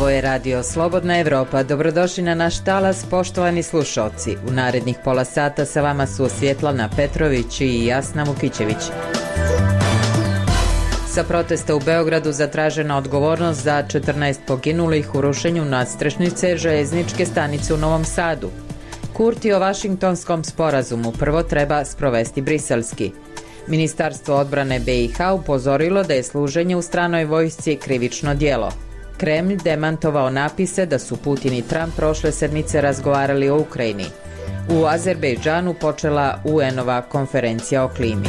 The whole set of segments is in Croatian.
Ovo je Radio Slobodna Evropa. Dobrodošli na naš talas, poštovani slušalci. U narednih pola sata sa vama su Svjetlana Petrović i Jasna Vukićević. Sa protesta u Beogradu zatražena odgovornost za 14 poginulih u rušenju nadstrešnice željezničke stanice u Novom Sadu. Kurti o Vašingtonskom sporazumu prvo treba sprovesti briselski. Ministarstvo odbrane BiH upozorilo da je služenje u stranoj vojsci krivično djelo. Kremlj demantovao napise da su Putin i Trump prošle sedmice razgovarali o Ukrajini. U Azerbejdžanu počela UN-ova konferencija o klimi.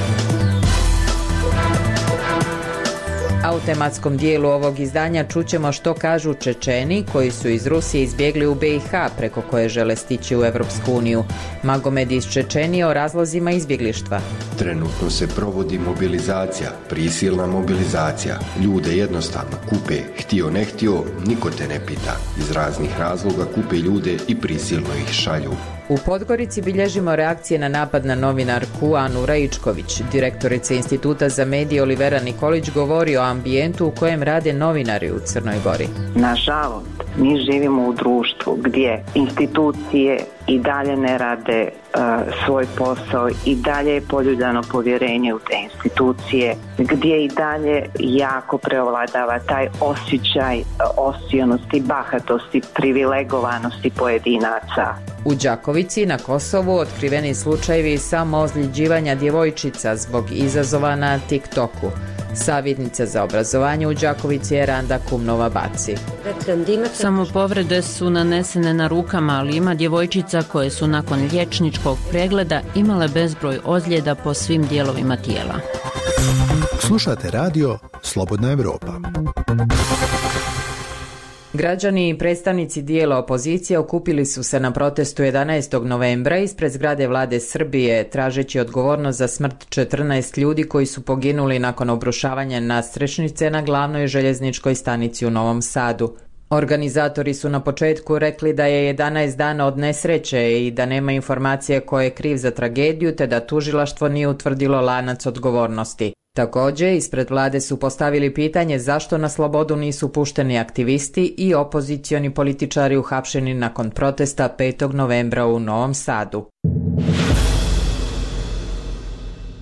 A u tematskom dijelu ovog izdanja čućemo što kažu Čečeni koji su iz Rusije izbjegli u BiH preko koje žele stići u Evropsku uniju. Magomed iz Čečenije o razlozima izbjeglištva. Trenutno se provodi mobilizacija, prisilna mobilizacija. Ljude jednostavno kupe, htio ne htio, niko te ne pita. Iz raznih razloga kupe ljude i prisilno ih šalju. U Podgorici bilježimo reakcije na napad na novinarku Anu Raičković. Direktorica Instituta za medije Olivera Nikolić govori o ambijentu u kojem rade novinari u Crnoj Gori. Nažalost, mi živimo u društvu gdje institucije i dalje ne rade svoj posao, i dalje je poljuljano povjerenje u te institucije, gdje i dalje jako preovladava taj osjećaj osionosti, bahatosti, privilegovanosti pojedinaca. U Đakovici na Kosovu otkriveni slučajevi samoozljeđivanja djevojčica zbog izazova na TikToku. Savjetnica za obrazovanje u Đakovici je Randa Kumnova-Baci. Samopovrede su nanesene na rukama, ali ima djevojčica koje su nakon liječničkog pregleda imale bezbroj ozljeda po svim dijelovima tijela. Slušate radio Slobodna Evropa. Građani i predstavnici dijela opozicije okupili su se na protestu 11. novembra ispred zgrade vlade Srbije, tražeći odgovornost za smrt 14 ljudi koji su poginuli nakon obrušavanja nadstrešnice na glavnoj željezničkoj stanici u Novom Sadu. Organizatori su na početku rekli da je 11 dana od nesreće i da nema informacije ko je kriv za tragediju, te da tužilaštvo nije utvrdilo lanac odgovornosti. Također, ispred vlade su postavili pitanje zašto na slobodu nisu pušteni aktivisti i opozicioni političari uhapšeni nakon protesta 5. novembra u Novom Sadu.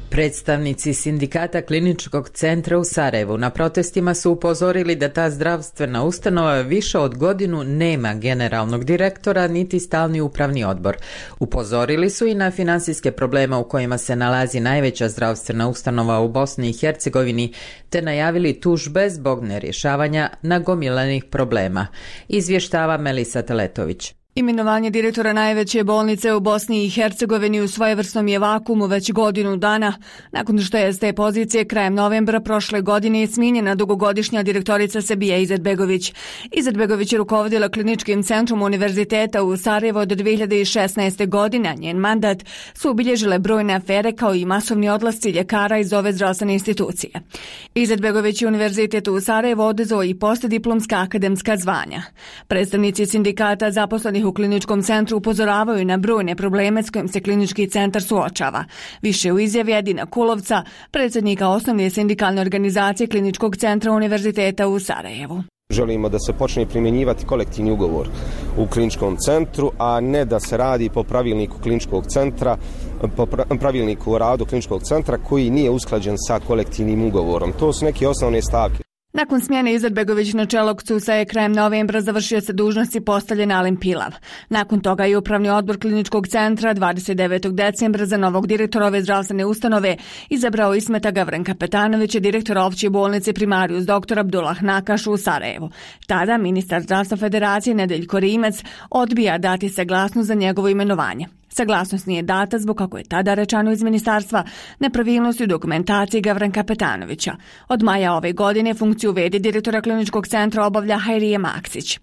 Predstavnici sindikata Kliničkog centra u Sarajevu na protestima su upozorili da ta zdravstvena ustanova više od godinu nema generalnog direktora niti stalni upravni odbor. Upozorili su i na financijske probleme u kojima se nalazi najveća zdravstvena ustanova u Bosni i Hercegovini, te najavili tužbe zbog nerješavanja nagomilanih problema. Izvještava Melisa Teletović. Imenovanje direktora najveće bolnice u Bosni i Hercegovini u svojevrsnom je vakuumu već godinu dana, nakon što je s te pozicije krajem novembra prošle godine smijenjena dugogodišnja direktorica Sebija Izetbegović. Izetbegović je rukovodila kliničkim centrom univerziteta u Sarajevu od 2016. godine, a njen mandat su obilježile brojne afere kao i masovni odlasci ljekara iz ove zdravstvene institucije. Izetbegović je univerzitet u Sarajevu oduzeo i postdiplomska akademska zvanja. Predstavnici sindikata zaposlenih u kliničkom centru upozoravaju na brojne probleme s kojim se klinički centar suočava. Više u izjavi Edina Kulovca, predsjednika osnovne sindikalne organizacije kliničkog centra univerziteta u Sarajevu. Želimo da se počne primjenjivati kolektivni ugovor u kliničkom centru, a ne da se radi po pravilniku kliničkog centra, po pravilniku o radu kliničkog centra koji nije usklađen sa kolektivnim ugovorom. To su neke osnovne stavke. Nakon smjene Izetbegović na čelo KCUS-a je krajem novembra završio se dužnosti postavljen Alen Pilav. Nakon toga je upravni odbor kliničkog centra 29. decembra za novog direktora ove zdravstvene ustanove izabrao Ismeta Gavrenka Petanovića, direktora opće bolnice Primarius dr. Abdullah Nakaš u Sarajevu. Tada ministar zdravstva Federacije Nedeljko Rimec odbija dati saglasnost za njegovo imenovanje. Saglasnost nije data zbog, kako je tada rečeno iz ministarstva, nepravilnosti u dokumentaciji Gavrenka Petanovića. Od maja ove godine funkciju v.d. direktora kliničkog centra obavlja Hajrije Maksić.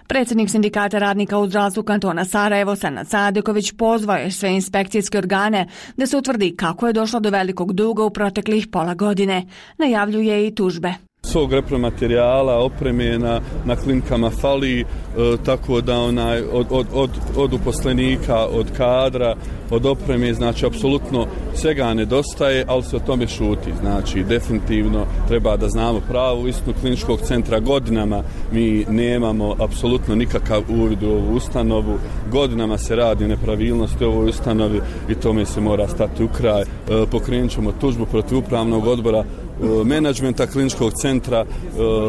Predsjednik sindikata radnika u zdravstvu kantona Sarajevo, Sanad Sadeković, pozvao je sve inspekcijske organe da se utvrdi kako je došlo do velikog duga u proteklih pola godine. Najavljuje i tužbe. svog repromaterijala, opreme na klinikama fali, tako da od uposlenika, od kadra, od opreme, znači apsolutno svega nedostaje, ali se o tome šuti. Znači definitivno treba da znamo pravu istinu kliničkog centra. Godinama mi nemamo apsolutno nikakav uvid u ovu ustanovu, godinama se radi nepravilnosti u ovoj ustanovi i tome se mora stati u kraj. Pokrenut ćemo tužbu protiv upravnog odbora, menadžmenta kliničkog centra,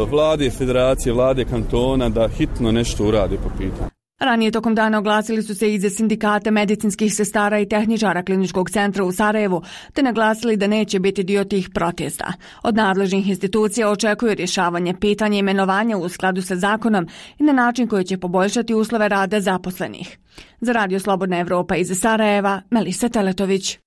vlade federacije, vlade kantona da hitno nešto urade po pitanju. Ranije tokom dana oglasili su se iz sindikata medicinskih sestara i tehničara kliničkog centra u Sarajevu, te naglasili da neće biti dio tih protesta. Od nadležnih institucija očekuju rješavanje pitanja imenovanja u skladu sa zakonom i na način koji će poboljšati uslove rada zaposlenih. Za Radio Slobodna Evropa iz Sarajeva, Melisa Teletović.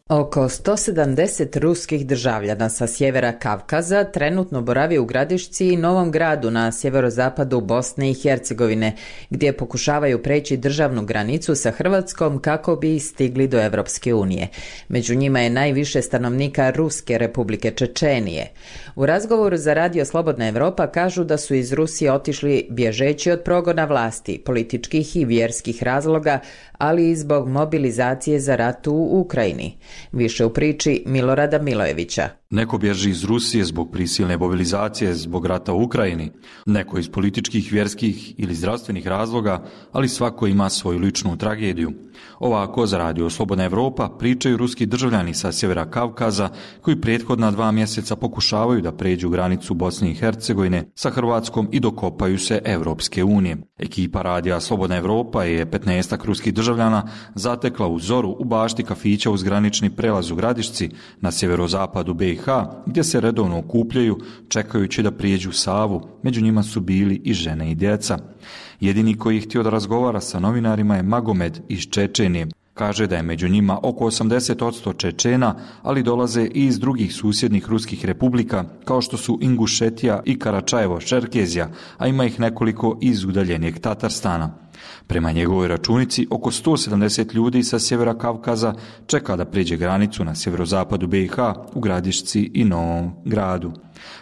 Oko 170 ruskih državljana sa sjevera Kavkaza trenutno boravi u Gradišci i Novom Gradu na sjeverozapadu Bosne i Hercegovine, gdje pokušavaju preći državnu granicu sa Hrvatskom kako bi stigli do Europske unije. Među njima je najviše stanovnika Ruske Republike Čečenije. U razgovoru za Radio Slobodna Evropa kažu da su iz Rusije otišli bježeći od progona vlasti, političkih i vjerskih razloga, ali i zbog mobilizacije za rat u Ukrajini. Više u priči Milorada Milojevića. Neko bježi iz Rusije zbog prisilne mobilizacije zbog rata u Ukrajini, neko iz političkih, vjerskih ili zdravstvenih razloga, ali svako ima svoju ličnu tragediju. Ovako za Radio Slobodna Evropa pričaju ruski državljani sa sjevera Kavkaza koji prethodna 2 mjeseca pokušavaju da pređu granicu Bosne i Hercegovine sa Hrvatskom i dokopaju se Europske unije. Ekipa Radija Slobodna Evropa je 15 ruskih državljana zatekla u zoru u bašti kafića uz granični prelaz u Gradišci na sjeverozapadu BiH, gdje se redovno okupljaju čekajući da prijeđu Savu. Među njima su bili i žene i djeca. Jedini koji je htio da razgovara sa novinarima je Magomed iz Čečenije. Kaže da je među njima oko 80% Čečena, ali dolaze i iz drugih susjednih ruskih republika, kao što su Ingušetija i Karačajevo-Čerkezija, a ima ih nekoliko iz udaljenijeg Tatarstana. Prema njegovoj računici, oko 170 ljudi sa sjevera Kavkaza čeka da prijeđe granicu na sjeverozapadu BiH u Gradišci i Novom Gradu.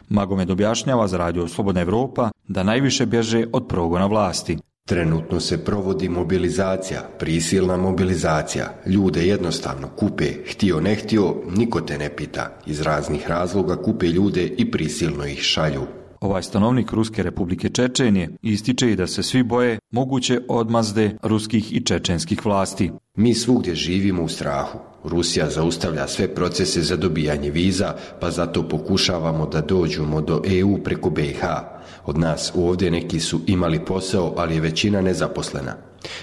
Magomed objašnjava za Radio Slobodna Evropa da najviše bježe od progona vlasti. Trenutno se provodi mobilizacija, prisilna mobilizacija. Ljude jednostavno kupe, htio ne htio, niko te ne pita. Iz raznih razloga kupe ljude i prisilno ih šalju. Ovaj stanovnik Ruske Republike Čečenije ističe i da se svi boje moguće odmazde ruskih i čečenskih vlasti. Mi svugdje živimo u strahu. Rusija zaustavlja sve procese za dobijanje viza, pa zato pokušavamo da dođemo do EU preko BiH. Od nas ovdje neki su imali posao, ali je većina nezaposlena.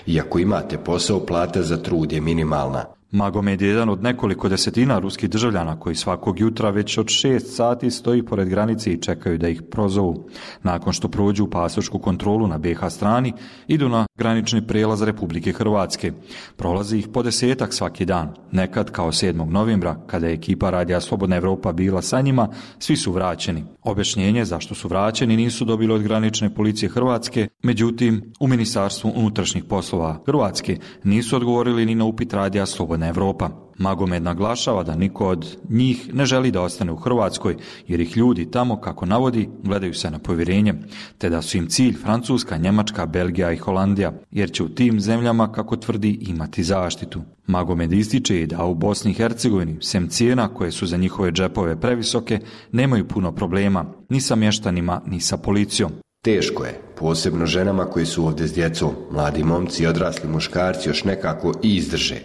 Iako imate posao, plata za trud je minimalna. Magomed je jedan od nekoliko desetina ruskih državljana koji svakog jutra već od 6 sati stoji pored granice i čekaju da ih prozovu. Nakon što prođu pasošku kontrolu na BiH strani, idu na granični prijelaz Republike Hrvatske. Prolazi ih po 10-ak svaki dan. Nekad, kao 7. novembra, kada je ekipa Radija Slobodna Evropa bila sa njima, svi su vraćeni. Objašnjenje zašto su vraćeni nisu dobili od granične policije Hrvatske, međutim, u Ministarstvu unutrašnjih poslova Hrvatske nisu odgovorili ni na upit Radija Slobodna Evropa. Magomed naglašava da niko od njih ne želi da ostane u Hrvatskoj, jer ih ljudi tamo, kako navodi, gledaju se na povjerenje, te da su im cilj Francuska, Njemačka, Belgija i Holandija, jer će u tim zemljama, kako tvrdi, imati zaštitu. Magomed ističe i da u Bosni i Hercegovini, sem cijena koje su za njihove džepove previsoke, nemaju puno problema, ni sa mještanima, ni sa policijom. Teško je, posebno ženama koji su ovdje s djecom. Mladi momci i odrasli muškarci još nekako i izdrže.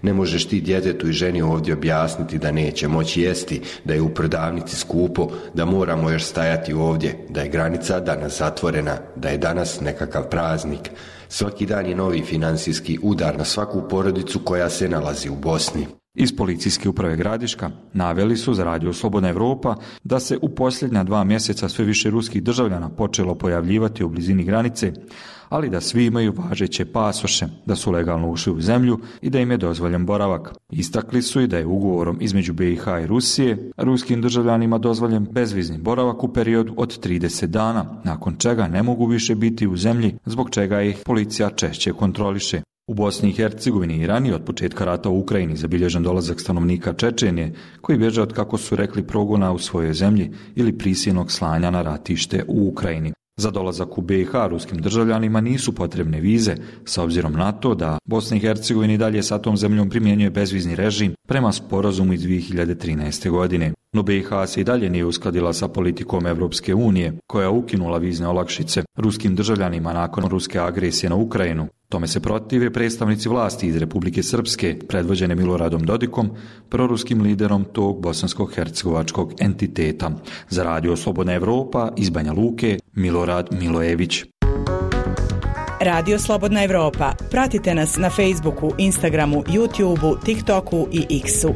Ne možeš ti djetetu i ženi ovdje objasniti da neće moći jesti, da je u prodavnici skupo, da moramo još stajati ovdje, da je granica danas zatvorena, da je danas nekakav praznik. Svaki dan je novi financijski udar na svaku porodicu koja se nalazi u Bosni. Iz policijske uprave Gradiška naveli su za Radio Slobodna Evropa da se u posljednja 2 mjeseca sve više ruskih državljana počelo pojavljivati u blizini granice, ali da svi imaju važeće pasoše, da su legalno ušli u zemlju i da im je dozvoljen boravak. Istakli su i da je ugovorom između BiH i Rusije ruskim državljanima dozvoljen bezvizni boravak u periodu od 30 dana, nakon čega ne mogu više biti u zemlji, zbog čega ih policija češće kontroliše. U Bosni i Hercegovini i ranije od početka rata u Ukrajini zabilježen dolazak stanovnika Čečenije koji bježe od, kako su rekli, progona u svojoj zemlji ili prisilnog slanja na ratište u Ukrajini. Za dolazak u BiH ruskim državljanima nisu potrebne vize, sa obzirom na to da Bosna i Hercegovina i dalje sa tom zemljom primjenjuje bezvizni režim prema sporazumu iz 2013. godine. No BiH se i dalje nije uskladila sa politikom Evropske unije, koja je ukinula vizne olakšice ruskim državljanima nakon ruske agresije na Ukrajinu. Tome se protive predstavnici vlasti iz Republike Srpske, predvođene Miloradom Dodikom, proruskim liderom tog bosansko-hercegovačkog entiteta. Za Radio Slobodna Evropa iz Banja Luke, Milorad Milojević. Radio Slobodna Evropa. Pratite nas na Facebooku, Instagramu, YouTubeu, TikToku i X-u.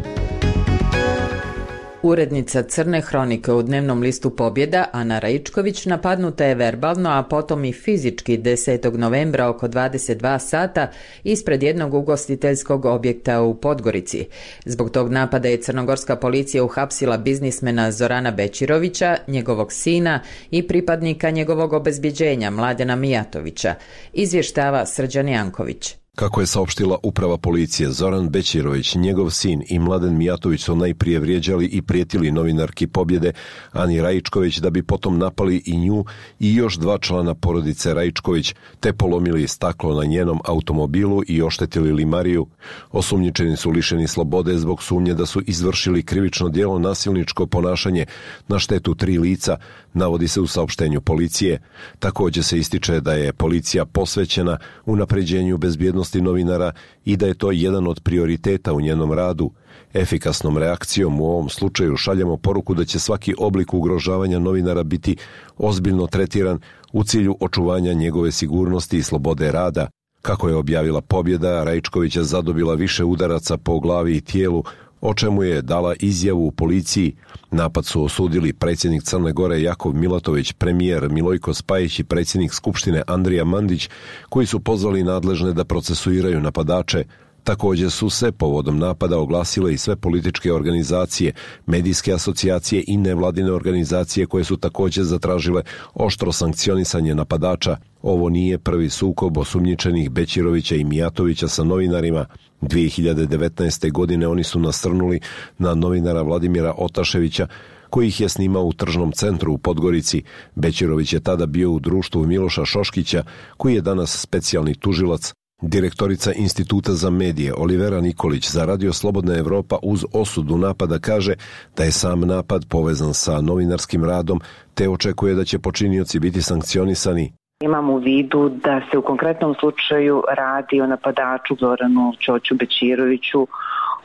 Urednica Crne hronike u dnevnom listu Pobjeda, Ana Raičković, napadnuta je verbalno, a potom i fizički 10. novembra oko 22 sata ispred jednog ugostiteljskog objekta u Podgorici. Zbog tog napada je crnogorska policija uhapsila biznismena Zorana Bećirovića, njegovog sina i pripadnika njegovog obezbjeđenja Mladena Mijatovića, izvještava Srđan Janković. Kako je saopštila uprava policije, Zoran Bećirović, njegov sin i Mladen Mijatović su najprije vrijeđali i prijetili novinarki Pobjede Ani Raičković da bi potom napali i nju i još 2 člana porodice Raičković, te polomili staklo na njenom automobilu i oštetili limariju. Osumnjičeni su lišeni slobode zbog sumnje da su izvršili krivično djelo nasilničko ponašanje na štetu 3 lica, navodi se u saopštenju policije. Također se ističe da je policija posvećena unapređenju bezbjednosti novinara i da je to jedan od prioriteta u njenom radu. Efikasnom reakcijom u ovom slučaju šaljemo poruku da će svaki oblik ugrožavanja novinara biti ozbiljno tretiran u cilju očuvanja njegove sigurnosti i slobode rada. Kako je objavila Pobjeda, Raičković je zadobila više udaraca po glavi i tijelu, o čemu je dala izjavu u policiji. Napad su osudili predsjednik Crne Gore Jakov Milatović, premijer Milojko Spajić i predsjednik Skupštine Andrija Mandić, koji su pozvali nadležne da procesuiraju napadače. Također su se povodom napada oglasile i sve političke organizacije, medijske asocijacije i nevladine organizacije koje su također zatražile oštro sankcionisanje napadača. Ovo nije prvi sukob osumnjičenih Bećirovića i Mijatovića sa novinarima. 2019. godine oni su nasrnuli na novinara Vladimira Otaševića, koji ih je snimao u tržnom centru u Podgorici. Bećirović je tada bio u društvu Miloša Šoškića, koji je danas specijalni tužilac. Direktorica Instituta za medije Olivera Nikolić za Radio Slobodna Evropa uz osudu napada kaže da je sam napad povezan sa novinarskim radom, te očekuje da će počinioci biti sankcionisani. Imam u vidu da se u konkretnom slučaju radi o napadaču Zoranu Ćoću Bećiroviću,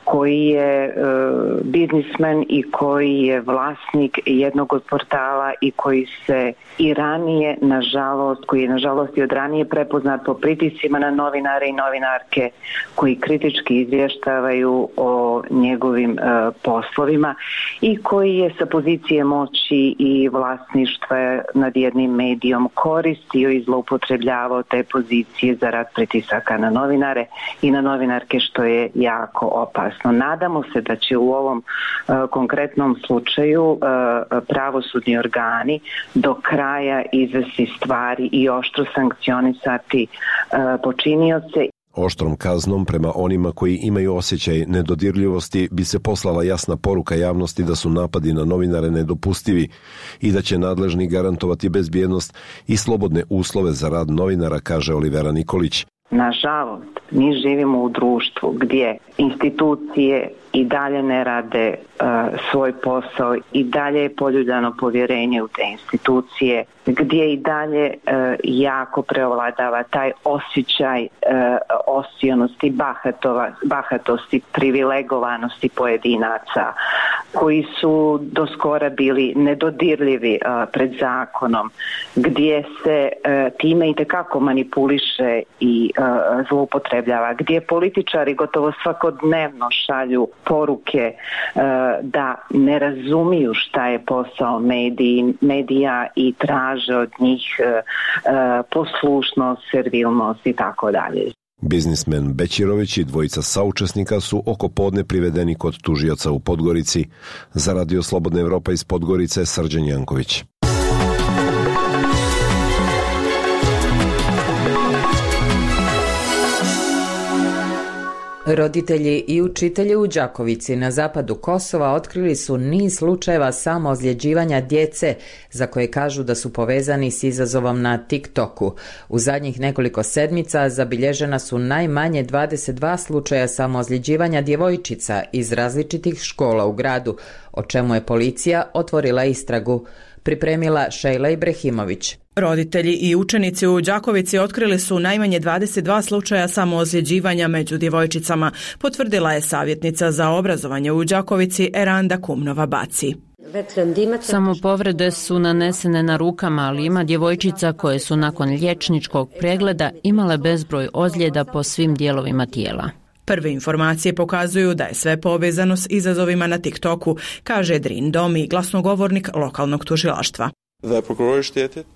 koji je biznismen i koji je vlasnik jednog od portala i koji se i ranije, koji je nažalost i od ranije prepoznat po pritiscima na novinare i novinarke koji kritički izvještavaju o njegovim poslovima i koji je sa pozicije moći i vlasništva nad jednim medijom koristio i zloupotrebljavao te pozicije za rad pritisaka na novinare i na novinarke, što je jako opasno. Nadamo se da će u ovom konkretnom slučaju pravosudni organi do kraja izvesti stvari i oštro sankcionisati počinioce. Oštrom kaznom prema onima koji imaju osjećaj nedodirljivosti bi se poslala jasna poruka javnosti da su napadi na novinare nedopustivi i da će nadležni garantovati bezbjednost i slobodne uslove za rad novinara, kaže Olivera Nikolić. Nažalost, mi živimo u društvu gdje institucije i dalje ne rade svoj posao, i dalje je poljuljano povjerenje u te institucije, gdje i dalje jako preovladava taj osjećaj osionosti, bahatosti, privilegovanosti pojedinaca koji su do skora bili nedodirljivi pred zakonom, gdje se time itekako manipuliše i zloupotrebljava, gdje političari gotovo svakodnevno šalju poruke da ne razumiju šta je posao medija i traže od njih poslušnost, servilnost i tako dalje. Biznismen Bećirović i dvojica saučesnika su oko podne privedeni kod tužioca u Podgorici. Za Radio Slobodna Evropa iz Podgorice, Srđan Janković. Roditelji i učitelji u Đakovici na zapadu Kosova otkrili su niz slučajeva samoozljeđivanja djece za koje kažu da su povezani s izazovom na TikToku. U zadnjih nekoliko sedmica zabilježena su najmanje 22 slučaja samoozljeđivanja djevojčica iz različitih škola u gradu, o čemu je policija otvorila istragu. Pripremila Šejla Ibrahimović. Roditelji i učenici u Đakovici otkrili su najmanje 22 slučaja samoozljeđivanja među djevojčicama, potvrdila je savjetnica za obrazovanje u Đakovici Eranda Kumnova-Baci. Samopovrede su nanesene na rukama, ali ima djevojčica koje su nakon liječničkog pregleda imale bezbroj ozljeda po svim dijelovima tijela. Prve informacije pokazuju da je sve povezano s izazovima na TikToku, kaže Drin Domi, glasnogovornik lokalnog tužilaštva.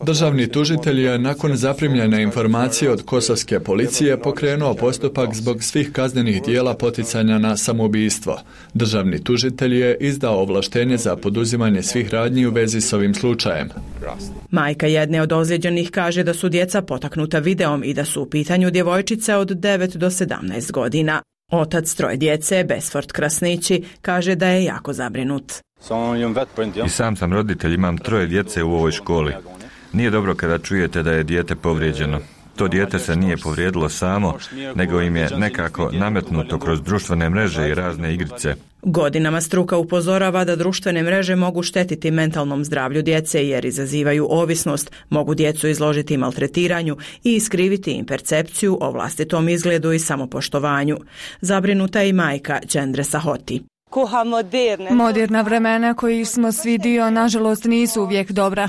Državni tužitelj je nakon zaprimljene informacije od kosovske policije pokrenuo postupak zbog svih kaznenih dijela poticanja na samoubistvo. Državni tužitelj je izdao ovlaštenje za poduzimanje svih radnji u vezi s ovim slučajem. Majka jedne od ozlijeđenih kaže da su djeca potaknuta videom i da su u pitanju djevojčice od 9 do 17 godina. Otac troje djece, Besford Krasnići, kaže da je jako zabrinut. I sam sam roditelj, imam 3 djece u ovoj školi. Nije dobro kada čujete da je dijete povrijeđeno. To dijete se nije povrijedilo samo, nego im je nekako nametnuto kroz društvene mreže i razne igrice. Godinama struka upozorava da društvene mreže mogu štetiti mentalnom zdravlju djece jer izazivaju ovisnost, mogu djecu izložiti maltretiranju i iskriviti im percepciju o vlastitom izgledu i samopoštovanju. Zabrinuta je i majka Đendre Sahoti. Moderna vremena koji smo svi dio, nažalost, nisu uvijek dobra.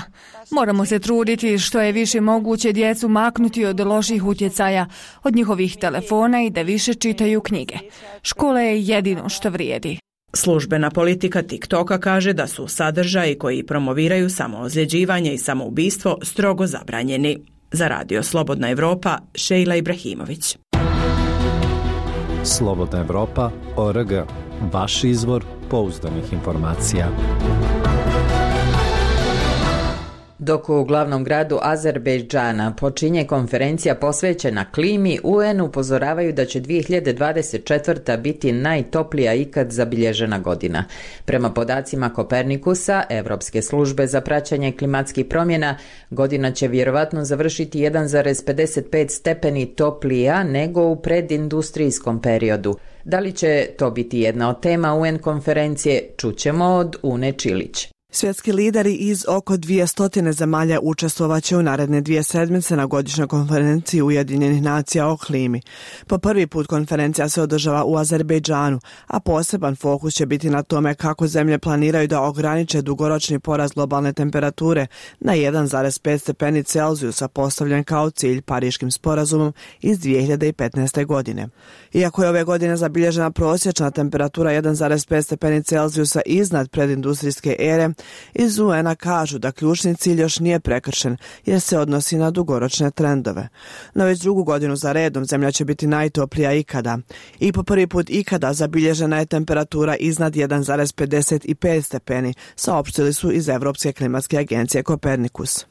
Moramo se truditi što je više moguće djecu maknuti od loših utjecaja, od njihovih telefona i da više čitaju knjige. Škola je jedino što vrijedi. Službena politika TikToka kaže da su sadržaji koji promoviraju samoozljeđivanje i samoubistvo strogo zabranjeni. Za Radio Slobodna Evropa, Šejla Ibrahimović. Slobodna Evropa.org. Vaš izvor pouzdanih informacija. Dok u glavnom gradu Azerbejdžana počinje konferencija posvećena klimi, UN upozoravaju da će 2024. biti najtoplija ikad zabilježena godina. Prema podacima Kopernikusa, Evropske službe za praćenje klimatskih promjena, godina će vjerovatno završiti 1,55 stepeni toplija nego u predindustrijskom periodu. Da li će to biti jedna od tema UN konferencije, čućemo od Une Čilić. Svjetski lideri iz oko 200 zemalja učestvovaće u naredne 2 sedmice na godišnjoj konferenciji Ujedinjenih nacija o klimi. Po prvi put konferencija se održava u Azerbejdžanu, a poseban fokus će biti na tome kako zemlje planiraju da ograniče dugoročni porast globalne temperature na 1,5 stepeni Celzijusa postavljen kao cilj Pariškim sporazumom iz 2015. godine. Iako je ove godine zabilježena prosječna temperatura 1,5 stepeni Celzijusa iznad predindustrijske ere, iz UN-a kažu da ključni cilj još nije prekršen jer se odnosi na dugoročne trendove. No već drugu godinu za redom zemlja će biti najtoplija ikada. I po prvi put ikada zabilježena je temperatura iznad 1,55 stepeni, saopštili su iz Evropske klimatske agencije Kopernikus.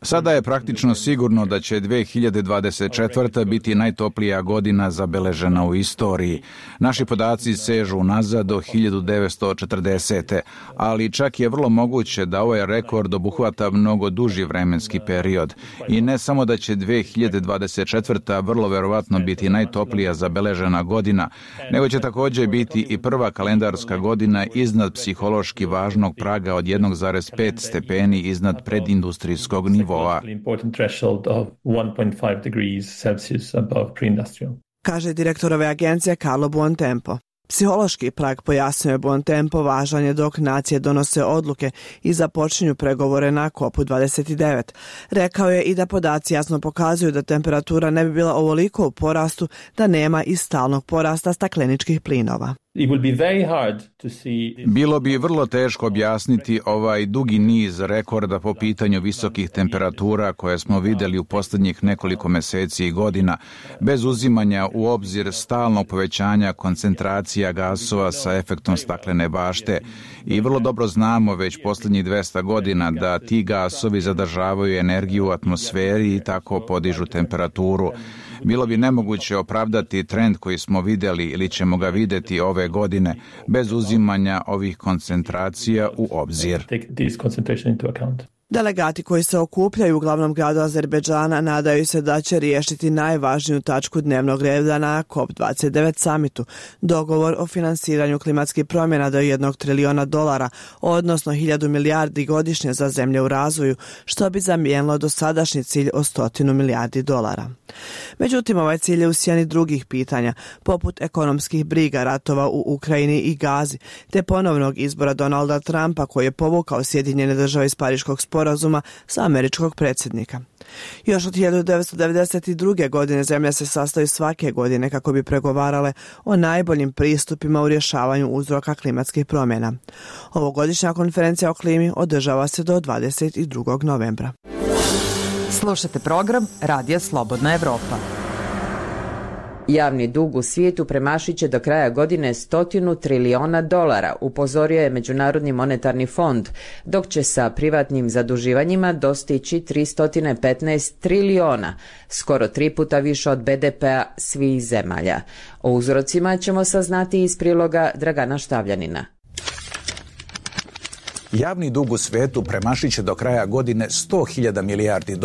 Sada je praktično sigurno da će 2024. biti najtoplija godina zabeležena u istoriji. Naši podaci sežu nazad do 1940. ali čak je vrlo moguće da ovaj rekord obuhvata mnogo duži vremenski period. I ne samo da će 2024. vrlo verovatno biti najtoplija zabeležena godina, nego će također biti i prva kalendarska godina iznad psihološki važnog praga od 1,5 stepeni iznad predindustrijskog nivoa. Kaže direktor ove agencije Carlo Buontempo. Psihološki prag, pojasnio je Buontempo, važan je dok nacije donose odluke i započinju pregovore na COP29. Rekao je i da podaci jasno pokazuju da temperatura ne bi bila ovoliko u porastu da nema i stalnog porasta stakleničkih plinova. Bilo bi vrlo teško objasniti ovaj dugi niz rekorda po pitanju visokih temperatura koje smo vidjeli u posljednjih nekoliko mjeseci i godina, bez uzimanja u obzir stalnog povećanja koncentracija gasova sa efektom staklene bašte. I vrlo dobro znamo već posljednjih 200 godina da ti gasovi zadržavaju energiju u atmosferi i tako podižu temperaturu. Bilo bi nemoguće opravdati trend koji smo vidjeli ili ćemo ga vidjeti ove godine bez uzimanja ovih koncentracija u obzir. Delegati koji se okupljaju u glavnom gradu Azerbejdžana nadaju se da će riješiti najvažniju tačku dnevnog reda na COP29 samitu, dogovor o finansiranju klimatskih promjena do $1 triliona, odnosno 1000 milijardi godišnje za zemlje u razvoju, što bi zamijenilo dosadašnji cilj od $100 milijardi. Međutim, ovaj cilj je u sjeni drugih pitanja, poput ekonomskih briga, ratova u Ukrajini i Gazi, te ponovnog izbora Donalda Trumpa koji je povukao Sjedinjene Države iz Pariškog sporazuma sa američkog predsjednika. Još od 1992. godine zemlja se sastoji svake godine kako bi pregovarale o najboljim pristupima u rješavanju uzroka klimatskih promjena. Ovogodišnja konferencija o klimi održava se do 22. novembra. Slušate program Radija Slobodna Evropa. Javni dug u svijetu premašit će do kraja godine $100 triliona, upozorio je Međunarodni monetarni fond, dok će sa privatnim zaduživanjima dostići 315 triliona, skoro 3 puta više od BDP-a svih zemalja. O uzrocima ćemo saznati iz priloga Dragana Štavljanina. Javni dug u svijetu premašit će do kraja godine $100.000 milijardi,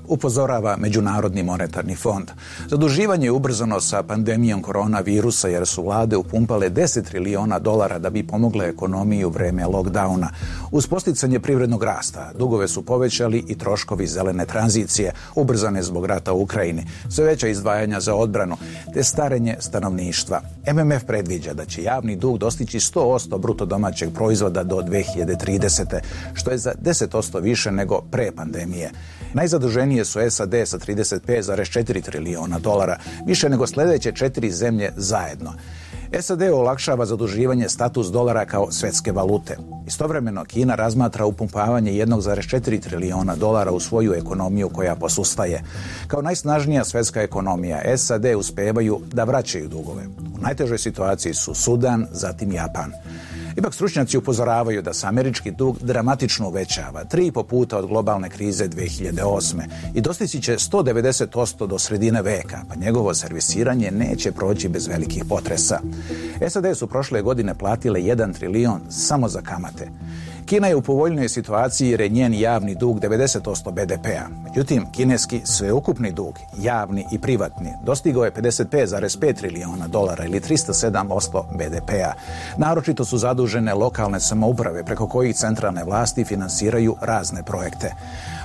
upozorava Međunarodni monetarni fond. Zaduživanje je ubrzano sa pandemijom koronavirusa jer su vlade upumpale $10 triliona da bi pomogle ekonomiji u vreme lockdowna. Uz posticanje privrednog rasta, dugove su povećali i troškovi zelene tranzicije, ubrzane zbog rata u Ukrajini, sve veća izdvajanja za odbranu, te starenje stanovništva. MMF predviđa da će javni dug dostići 100% bruto domaćeg proizvoda do 2030. što je za 10% više nego pre pandemije. Najzaduženije su SAD sa $35,4 triliona, više nego sljedeće 4 zemlje zajedno. SAD olakšava zaduživanje status dolara kao svjetske valute. Istovremeno Kina razmatra upumpavanje $1,4 triliona u svoju ekonomiju koja posustaje. Kao najsnažnija svjetska ekonomija, SAD uspevaju da vraćaju dugove. U najtežoj situaciji su Sudan, zatim Japan. Ipak stručnjaci upozoravaju da se američki dug dramatično uvećava, 3,5 puta od globalne krize 2008. i dostići će 190% do sredine veka, pa njegovo servisiranje neće proći bez velikih potresa. SAD su prošle godine platile $1 trilion samo za kamate. Kina je u povoljnoj situaciji jer je njen javni dug 90% BDP-a. Međutim, kineski sveukupni dug, javni i privatni, dostigao je $55,5 triliona ili 307% BDP-a. Naročito su zadužene lokalne samouprave preko kojih centralne vlasti finansiraju razne projekte.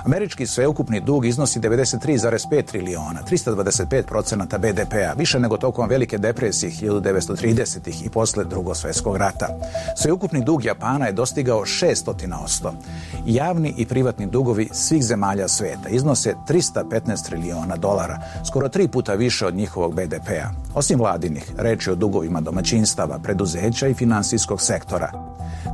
Američki sveukupni dug iznosi $93,5 triliona, 325% BDP-a, više nego tokom Velike depresije 1930-ih i posle Drugog svjetskog rata. Sveukupni dug Japana je dostigao 600%. Javni i privatni dugovi svih zemalja svijeta iznose $315 triliona, skoro 3 puta više od njihovog BDP-a. Osim vladinih, reč je o dugovima domaćinstava, preduzeća i finansijskog sektora.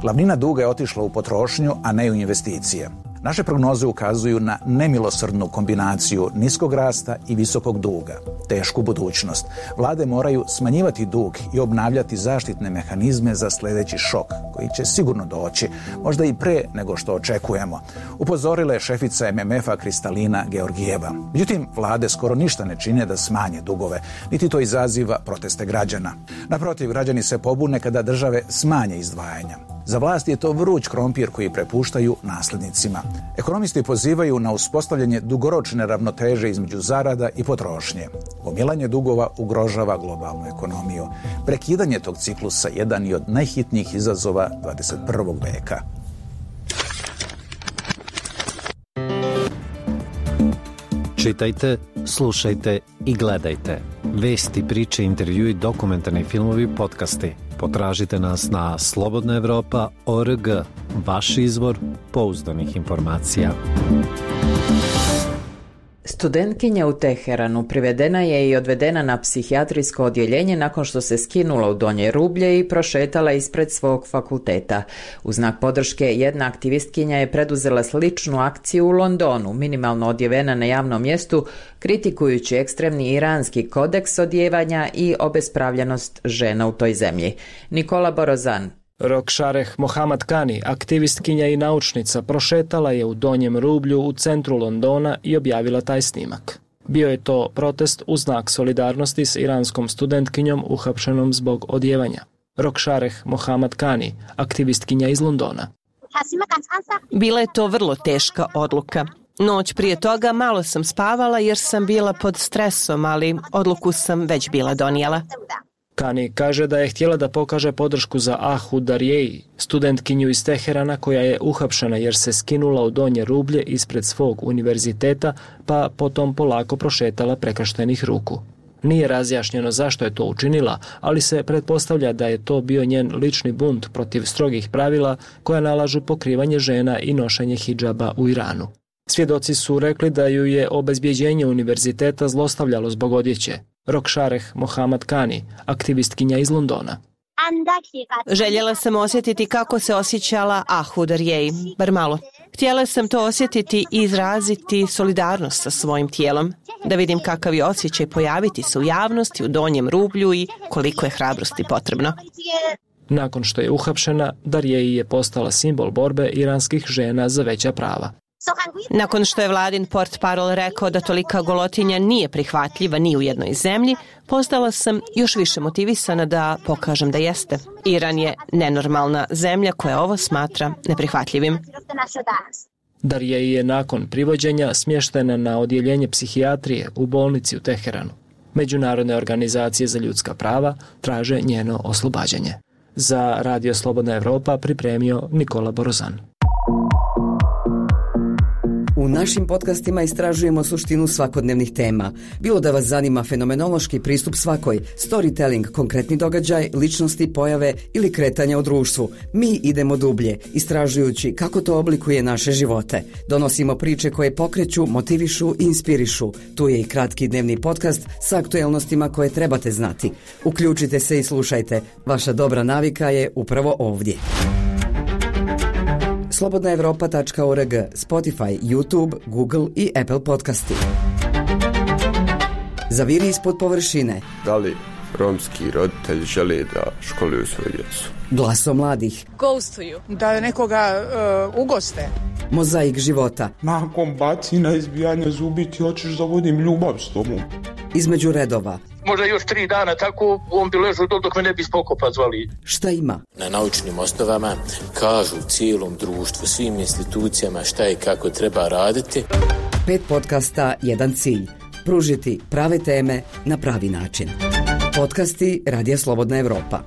Glavnina duga je otišla u potrošnju, a ne u investicije. Naše prognoze ukazuju na nemilosrdnu kombinaciju niskog rasta i visokog duga, tešku budućnost. Vlade moraju smanjivati dug i obnavljati zaštitne mehanizme za sljedeći šok, koji će sigurno doći, možda i pre nego što očekujemo, upozorila je šefica MMF-a Kristalina Georgijeva. Međutim, vlade skoro ništa ne čine da smanje dugove, niti to izaziva proteste građana. Naprotiv, građani se pobune kada države smanje izdvajanja. Za vlast je to vruć krompir koji prepuštaju nasljednicima. Ekonomisti pozivaju na uspostavljanje dugoročne ravnoteže između zarada i potrošnje. Gomilanje dugova ugrožava globalnu ekonomiju. Prekidanje tog ciklusa jedan je od najhitnijih izazova 21. veka. Čitajte, slušajte i gledajte. Vesti, priče, intervjui, dokumentarni filmovi, podcasti. Potražite nas na slobodnaevropa.org, vaš izvor pouzdanih informacija. Studentkinja u Teheranu privedena je i odvedena na psihijatrijsko odjeljenje nakon što se skinula u donje rublje i prošetala ispred svog fakulteta. U znak podrške jedna aktivistkinja je preduzela sličnu akciju u Londonu, minimalno odjevena na javnom mjestu, kritikujući ekstremni iranski kodeks odjevanja i obespravljenost žena u toj zemlji. Nikola Borozan. Rokšareh Mohamad Kani, aktivistkinja i naučnica, prošetala je u donjem rublju u centru Londona i objavila taj snimak. Bio je to protest u znak solidarnosti s iranskom studentkinjom uhapšenom zbog odjevanja. Rokšareh Mohamad Kani, aktivistkinja iz Londona. Bila je to vrlo teška odluka. Noć prije toga malo sam spavala jer sam bila pod stresom, ali odluku sam već bila donijela. Kani kaže da je htjela da pokaže podršku za Ahu Darjeji, studentkinju iz Teherana koja je uhapšena jer se skinula u donje rublje ispred svog univerziteta, pa potom polako prošetala prekrštenih ruku. Nije razjašnjeno zašto je to učinila, ali se pretpostavlja da je to bio njen lični bunt protiv strogih pravila koja nalažu pokrivanje žena i nošenje hidžaba u Iranu. Svjedoci su rekli da ju je obezbjeđenje univerziteta zlostavljalo zbog odjeće. Rokšareh Mohamad Kani, aktivistkinja iz Londona. Željela sam osjetiti kako se osjećala Ahu Darjeji, bar malo. Htjela sam to osjetiti i izraziti solidarnost sa svojim tijelom, da vidim kakav je osjećaj pojaviti se u javnosti, u donjem rublju i koliko je hrabrosti potrebno. Nakon što je uhapšena, Darjeji je postala simbol borbe iranskih žena za veća prava. Nakon što je vladin portparol rekao da tolika golotinja nije prihvatljiva ni u jednoj zemlji, postala sam još više motivisana da pokažem da jeste. Iran je nenormalna zemlja koja ovo smatra neprihvatljivim. Darjeji je nakon privođenja smještena na odjeljenje psihijatrije u bolnici u Teheranu. Međunarodne organizacije za ljudska prava traže njeno oslobađanje. Za Radio Slobodna Evropa pripremio Nikola Borozan. U našim podcastima istražujemo suštinu svakodnevnih tema. Bilo da vas zanima fenomenološki pristup svakoj, storytelling, konkretni događaj, ličnosti, pojave ili kretanja u društvu. Mi idemo dublje, istražujući kako to oblikuje naše živote. Donosimo priče koje pokreću, motivišu i inspirišu. Tu je i kratki dnevni podcast sa aktuelnostima koje trebate znati. Uključite se i slušajte. Vaša dobra navika je upravo ovdje. slobodnaevropa.org, Spotify, YouTube, Google i Apple podcasti. Zaviri ispod površine. Da li romski roditelji žele da školuju svoju djecu? Glaso mladih. Ghostuju. Da nekoga ugoste. Mozaik života. Nakon bacina, izbijanja zubi ti hoćeš da vodim ljubav s tobom. Između redova. Možda još 3 dana tako on bi ležao dok me ne bi spokopa zvali. Šta ima? Na naučnim osnovama kažu cijelom društvu, svim institucijama šta i kako treba raditi. 5 podcasta, jedan cilj. Pružiti prave teme na pravi način. Podcasti Radija Slobodna Evropa.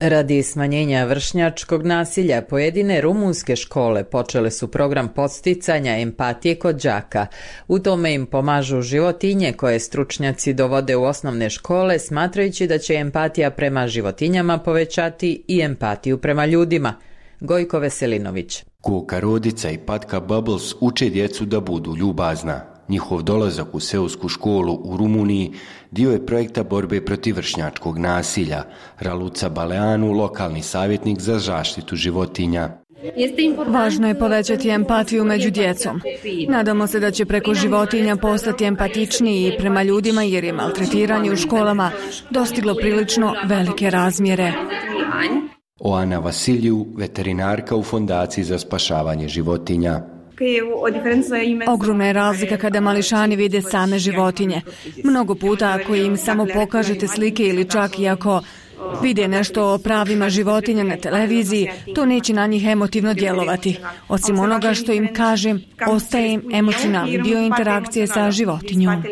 Radi smanjenja vršnjačkog nasilja, pojedine rumunske škole počele su program podsticanja empatije kod đaka. U tome im pomažu životinje koje stručnjaci dovode u osnovne škole, smatrajući da će empatija prema životinjama povećati i empatiju prema ljudima. Gojko Veselinović. Koka Rodica i Patka Bubbles uče djecu da budu ljubazna. Njihov dolazak u seosku školu u Rumuniji dio je projekta borbe protiv vršnjačkog nasilja. Raluca Baleanu, lokalni savjetnik za zaštitu životinja. Važno je povećati empatiju među djecom. Nadamo se da će preko životinja postati empatičniji prema ljudima jer je maltretiranje u školama dostiglo prilično velike razmjere. Oana Vasiliju, veterinarka u Fondaciji za spašavanje životinja. Ogromna je razlika kada mališani vide same životinje. Mnogo puta ako im samo pokažete slike ili čak i ako vide nešto o pravima životinja na televiziji, to neće na njih emotivno djelovati. Osim onoga što im kažem, ostaje im emocionalni dio interakcije sa životinjom.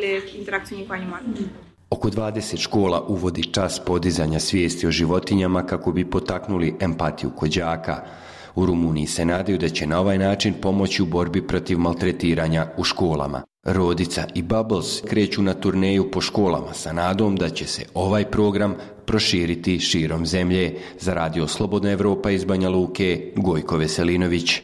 Oko 20 škola uvodi čas podizanja svijesti o životinjama kako bi potaknuli empatiju kod đaka. U Rumuniji se nadaju da će na ovaj način pomoći u borbi protiv maltretiranja u školama. Rodica i Bubbles kreću na turneju po školama sa nadom da će se ovaj program proširiti širom zemlje. Za Radio Slobodna Evropa iz Banja Luke, Gojko Veselinović.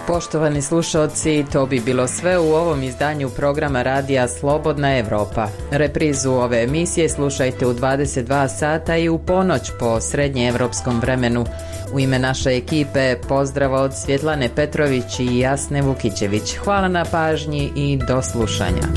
Poštovani slušalci, to bi bilo sve u ovom izdanju programa Radija Slobodna Evropa. Reprizu ove emisije slušajte u 22 sata i u ponoć po srednjeevropskom vremenu. U ime naše ekipe pozdrav od Svjetlane Petrović i Jasne Vukićević. Hvala na pažnji i do slušanja.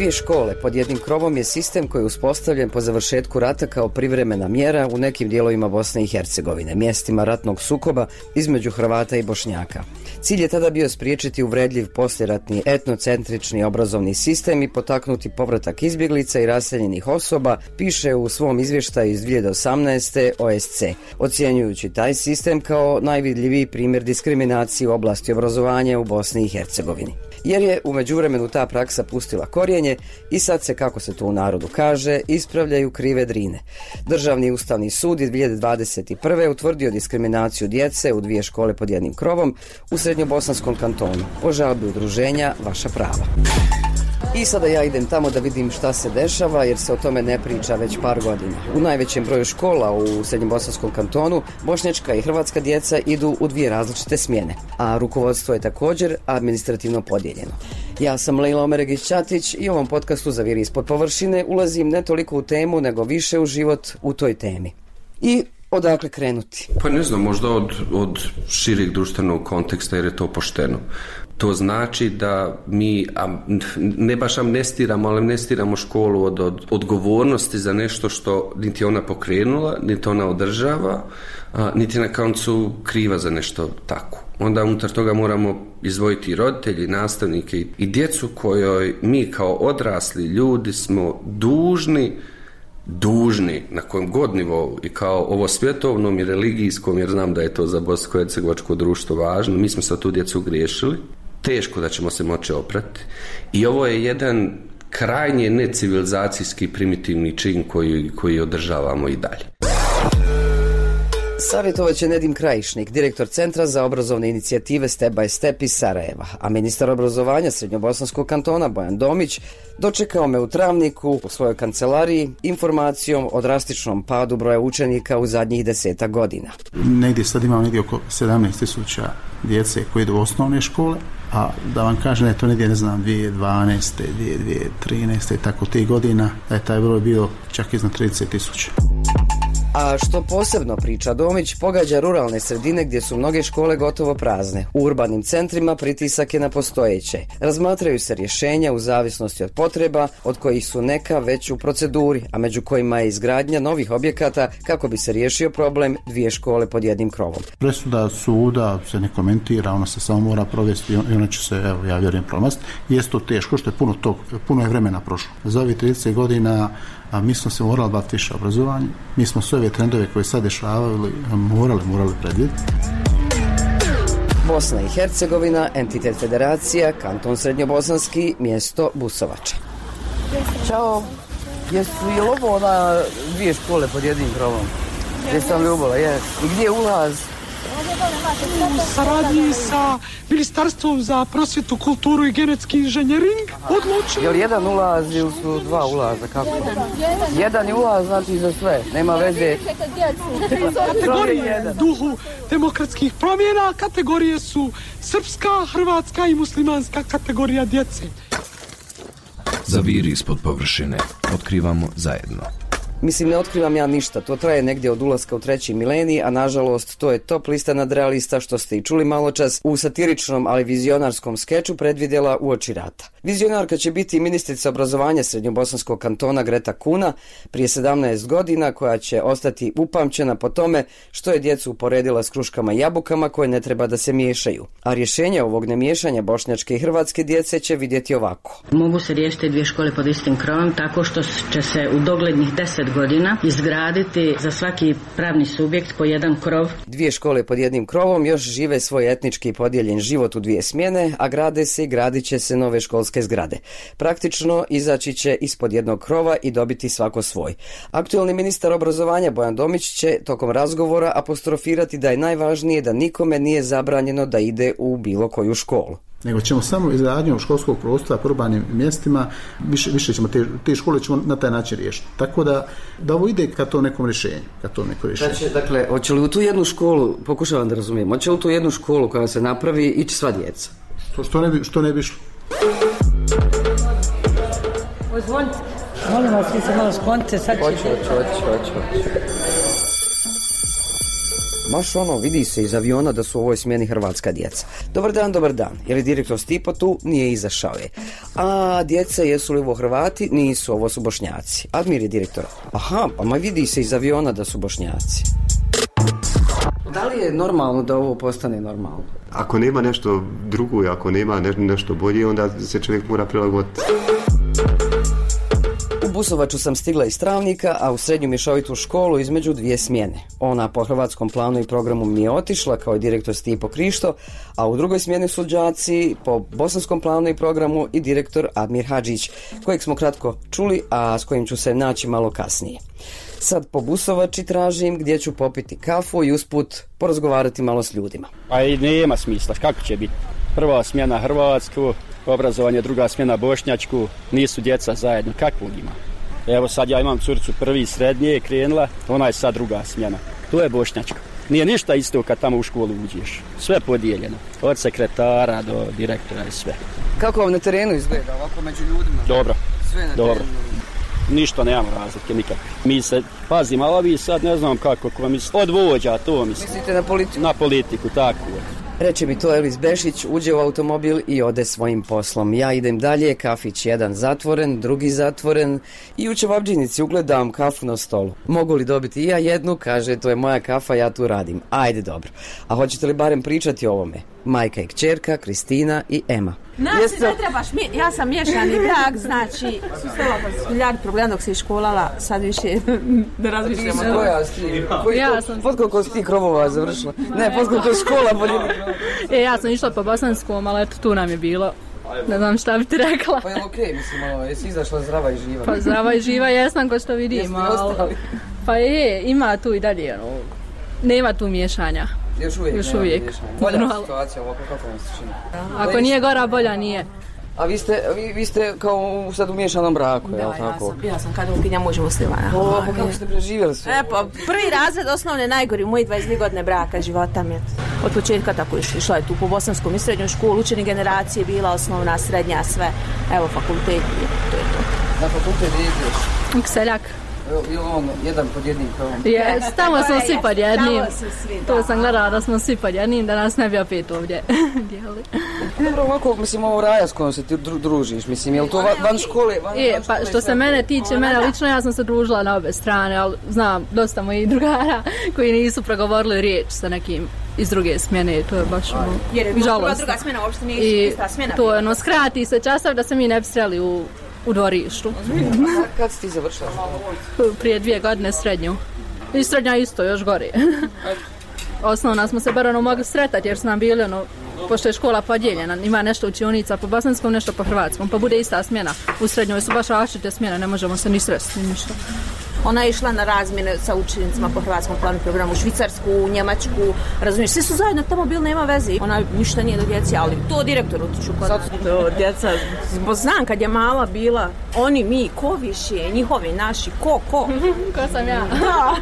2 škole pod jednim krovom je sistem koji je uspostavljen po završetku rata kao privremena mjera u nekim dijelovima Bosne i Hercegovine, mjestima ratnog sukoba između Hrvata i Bošnjaka. Cilj je tada bio spriječiti uvredljiv poslijeratni etnocentrični obrazovni sistem i potaknuti povratak izbjeglica i raseljenih osoba, piše u svom izvještaju iz 2018. OSC, ocjenjujući taj sistem kao najvidljiviji primjer diskriminacije u oblasti obrazovanja u Bosni i Hercegovini. Jer je u međuvremenu ta praksa pustila korijenje i sad se, kako se to u narodu kaže, ispravljaju krive drine. Državni ustavni sud iz 2021. utvrdio diskriminaciju djece u 2 škole pod jednim krovom u Srednjobosanskom kantonu. Po žalbi udruženja Vaša prava. I sada ja idem tamo da vidim šta se dešava, jer se o tome ne priča već par godina. U najvećem broju škola u Srednjobosanskom kantonu bošnjačka i hrvatska djeca idu u 2 različite smjene, a rukovodstvo je također administrativno podijeljeno. Ja sam Lejla Omeregić-Ćatić i u ovom podcastu Za viri ispod površine ulazim ne toliko u temu, nego više u život u toj temi. I odakle krenuti? Pa ne znam, možda od šireg društvenog konteksta, jer je to pošteno. To znači da mi, ne baš amnestiramo, ali amnestiramo školu od odgovornosti za nešto što niti ona pokrenula, niti ona održava, niti na koncu kriva za nešto tako. Onda unutar toga moramo izdvojiti roditelji, nastavnike i djecu kojoj mi kao odrasli ljudi smo dužni na kojem god nivou i kao ovo svjetovnom i religijskom, jer znam da je to za bosansko-hercegovačko društvo važno, mi smo sa tu djecu griješili, teško da ćemo se moći oprati i ovo je jedan krajnje necivilizacijski primitivni čin koji održavamo i dalje. Savjetovat će Nedim Krajišnik, direktor Centra za obrazovne inicijative Step by Step iz Sarajeva, a ministar obrazovanja Srednjobosanskog kantona Bojan Domić dočekao me u Travniku u svojoj kancelariji informacijom o drastičnom padu broja učenika u zadnjih 10 godina. Negdje sad imamo oko 17.000 djece koji idu u osnovne škole, a da vam kažem da je to negdje, 2012. 2013. tako tih godina, da je taj broj bio čak iznad 30.000. A što posebno priča Domić, pogađa ruralne sredine gdje su mnoge škole gotovo prazne. U urbanim centrima pritisak je na postojeće. Razmatraju se rješenja u zavisnosti od potreba, od kojih su neka već u proceduri, a među kojima je izgradnja novih objekata kako bi se riješio problem 2 škole pod jednim krovom. Presuda suda se ne komentira, ona se samo mora provesti i ona će se, ja vjerujem, promasti. Jeste to teško, što je puno je vremena prošlo. Za ovih 30 godina mi smo se morali baviti više obrazovanje, mi smo sve ove trendove koje sad dešavali morali predvidjeti. Bosna i Hercegovina, entitet federacija, kanton Srednjobosanski, mjesto Busovača. Ćao, je li ovo 2 škole pod jednim krovom? Jesam Ljubola, je. I gdje je ulaz? U saradnji sa Ministarstvom za prosvjetu, kulturu i genetski inženjering odlučili. Je li jedan ulaz ili su 2 ulaza? Kako? Jedan je ulaz, znači za sve. Nema veze. Kategorije duhu demokratskih promjena, kategorije su srpska, hrvatska i muslimanska kategorija djece. Za viri ispod površine otkrivamo zajedno. Mislim, ne otkrivam ja ništa, to traje negdje od ulaska u 3. milenij, a nažalost to je top lista nadrealista što ste i čuli malo čas u satiričnom, ali vizionarskom skeču predvidjela uoči rata. Vizionarka će biti ministrica obrazovanja Srednjobosanskog kantona Greta Kuna prije 17 godina, koja će ostati upamćena po tome što je djecu uporedila s kruškama i jabukama koje ne treba da se miješaju. A rješenje ovog nemiješanja bošnjačke i hrvatske djece će vidjeti ovako. Mogu se riješiti 2 škole pod istim krovom tako što će se u doglednih 10 godina izgraditi za svaki pravni subjekt po jedan krov. 2 škole pod jednim krovom još žive svoj etnički podijeljen život u 2 smjene, a grade se i gradit će se nove školske zgrade. Praktično izaći će ispod jednog krova i dobiti svako svoj. Aktualni ministar obrazovanja Bojan Domić će tokom razgovora apostrofirati da je najvažnije da nikome nije zabranjeno da ide u bilo koju školu. Nego ćemo samo izgradnjom školskog prostora po urbanim mjestima, više ćemo te škole ćemo na taj način riješiti. Tako da ovo ide ka to nekom rješenju. Dakle, hoće li u tu jednu školu, pokušavam da razumijem, hoće li u tu jednu školu koja se napravi ići sva djeca? Što ne bi išlo? Pozvolite, molim vas, vi se malo sklonite, sad ćete. Hoću. Baš vidi se iz aviona da su u ovoj smjeni hrvatska djeca. Dobar dan. Je li direktor Stipo tu? Nije, izašao je. A djeca, jesu li ovo Hrvati? Nisu, ovo su Bošnjaci. Admir je direktor. Aha, pa vidi se iz aviona da su Bošnjaci. Da li je normalno da ovo postane normalno? Ako nema nešto drugo i ako nema nešto bolje, onda se čovjek mora prilagoditi. U Busovaču sam stigla iz Travnika, a u srednju mješovitu školu između 2 smjene. Ona po hrvatskom planu i programu mi je otišla kao direktor Stipo Krišto, a u drugoj smjeni su đaci po bosanskom planu i programu i direktor Admir Hadžić, kojeg smo kratko čuli, a s kojim ću se naći malo kasnije. Sad po Busovači tražim gdje ću popiti kafu i usput porazgovarati malo s ljudima. Pa i nema smisla, kako će biti? Prva smjena hrvatsku, obrazovanje, druga smjena bošnjačku, nisu djeca zajedno, kakvog ima? Evo sad ja imam curcu prvi srednje, krenula, ona je sad druga smjena, to je bošnjačka. Nije ništa isto kad tamo u školu uđeš, sve podijeljeno, od sekretara do direktora i sve. Kako vam na terenu izgleda, ovako među ljudima? Dobro, sve na dobro. Terenu. Ništa, nemamo razlike nikakve. Mi se pazimo, ali vi sad ne znam kako vam od vođa, to mislim. Mislite na politiku? Na politiku, tako. Reče mi to Elvis Bešić, uđe u automobil i ode svojim poslom. Ja idem dalje, kafić jedan zatvoren, drugi zatvoren i u Čevabdžinici ugledam kafu na stolu. Mogu li dobiti i ja jednu? Kaže, to je moja kafa, ja tu radim. Ajde, dobro. A hoćete li barem pričati o ovome? Majka i kćerka, Kristina i Ema. Znači, ne trebaš, ja sam miješani brak, znači, susrela sam milijard problema dok se školala, sad više ne razmišljamo. Koja si ti? Koliko si ti krovova završila? Ne, koliko je škola bolje. Ja sam išla po bosanskom, ali eto, tu nam je bilo. Ne znam šta bi ti rekla. Pa je okej, mislim, jesi izašla zdrava i živa? Pa zdrava i živa jesam, ko što vidim. Pa ima tu i dalje, nema tu miješanja. Još uvijek. Bolja situacija ovako, kako vam se čini? Ako nije gora, bolja nije. A vi ste kao sad u miješanom braku, je li tako? Ja sam katolkinja muž muslimana. Pa kako ste preživjeli sve? Pa prvi razred osnovne najgori, moji 22 godine braka, života mi je. Od početka tako išla je tu po bosanskom i srednjoj školu, učeni generacije bila osnovna, srednja, sve. Evo fakultet, to je to. Na fakultet ideš? Seljak. Bilo jedan pod jednim krovom? Jes, tamo smo svi pod jednim. To sam gledala da smo svi pod jednim, da nas ne bi opet ovdje dijeli. Dobro, ovako, mislim, ovo raja s kojom se ti družiš, mislim, je li to van škole? Pa što se mene tiče, mene lično, ja sam se družila na obe strane, ali znam dosta mojih drugara koji nisu progovorili riječ sa nekim iz druge smjene, to je baš žalostno. Druga smjena uopšte nije ista smjena. To je skrati se časav da se mi ne bi sreli u dvorištu. Kad si ti završila? Prije 2 godine srednju. I srednja isto, još gore. Osnovna smo se bar mogli sretati jer su nam bili pošto je škola podijeljena, ima nešto učionica po bosanskom, nešto po hrvatskom, pa bude ista smjena. U srednjoj su baš različite smjene, ne možemo se ni sresti, ništa. Ona je išla na razmjene sa učenicima po hrvatskom planu programu, u Švicarsku, u Njemačku, razumiješ, svi su zajedno tamo bili, nema veze. Ona ništa nije do djeci, ali to direktor utiču kod nas. Djeca, znam kad je mala bila, oni, mi, ko više, njihovi, naši, ko? Ko sam ja? Da.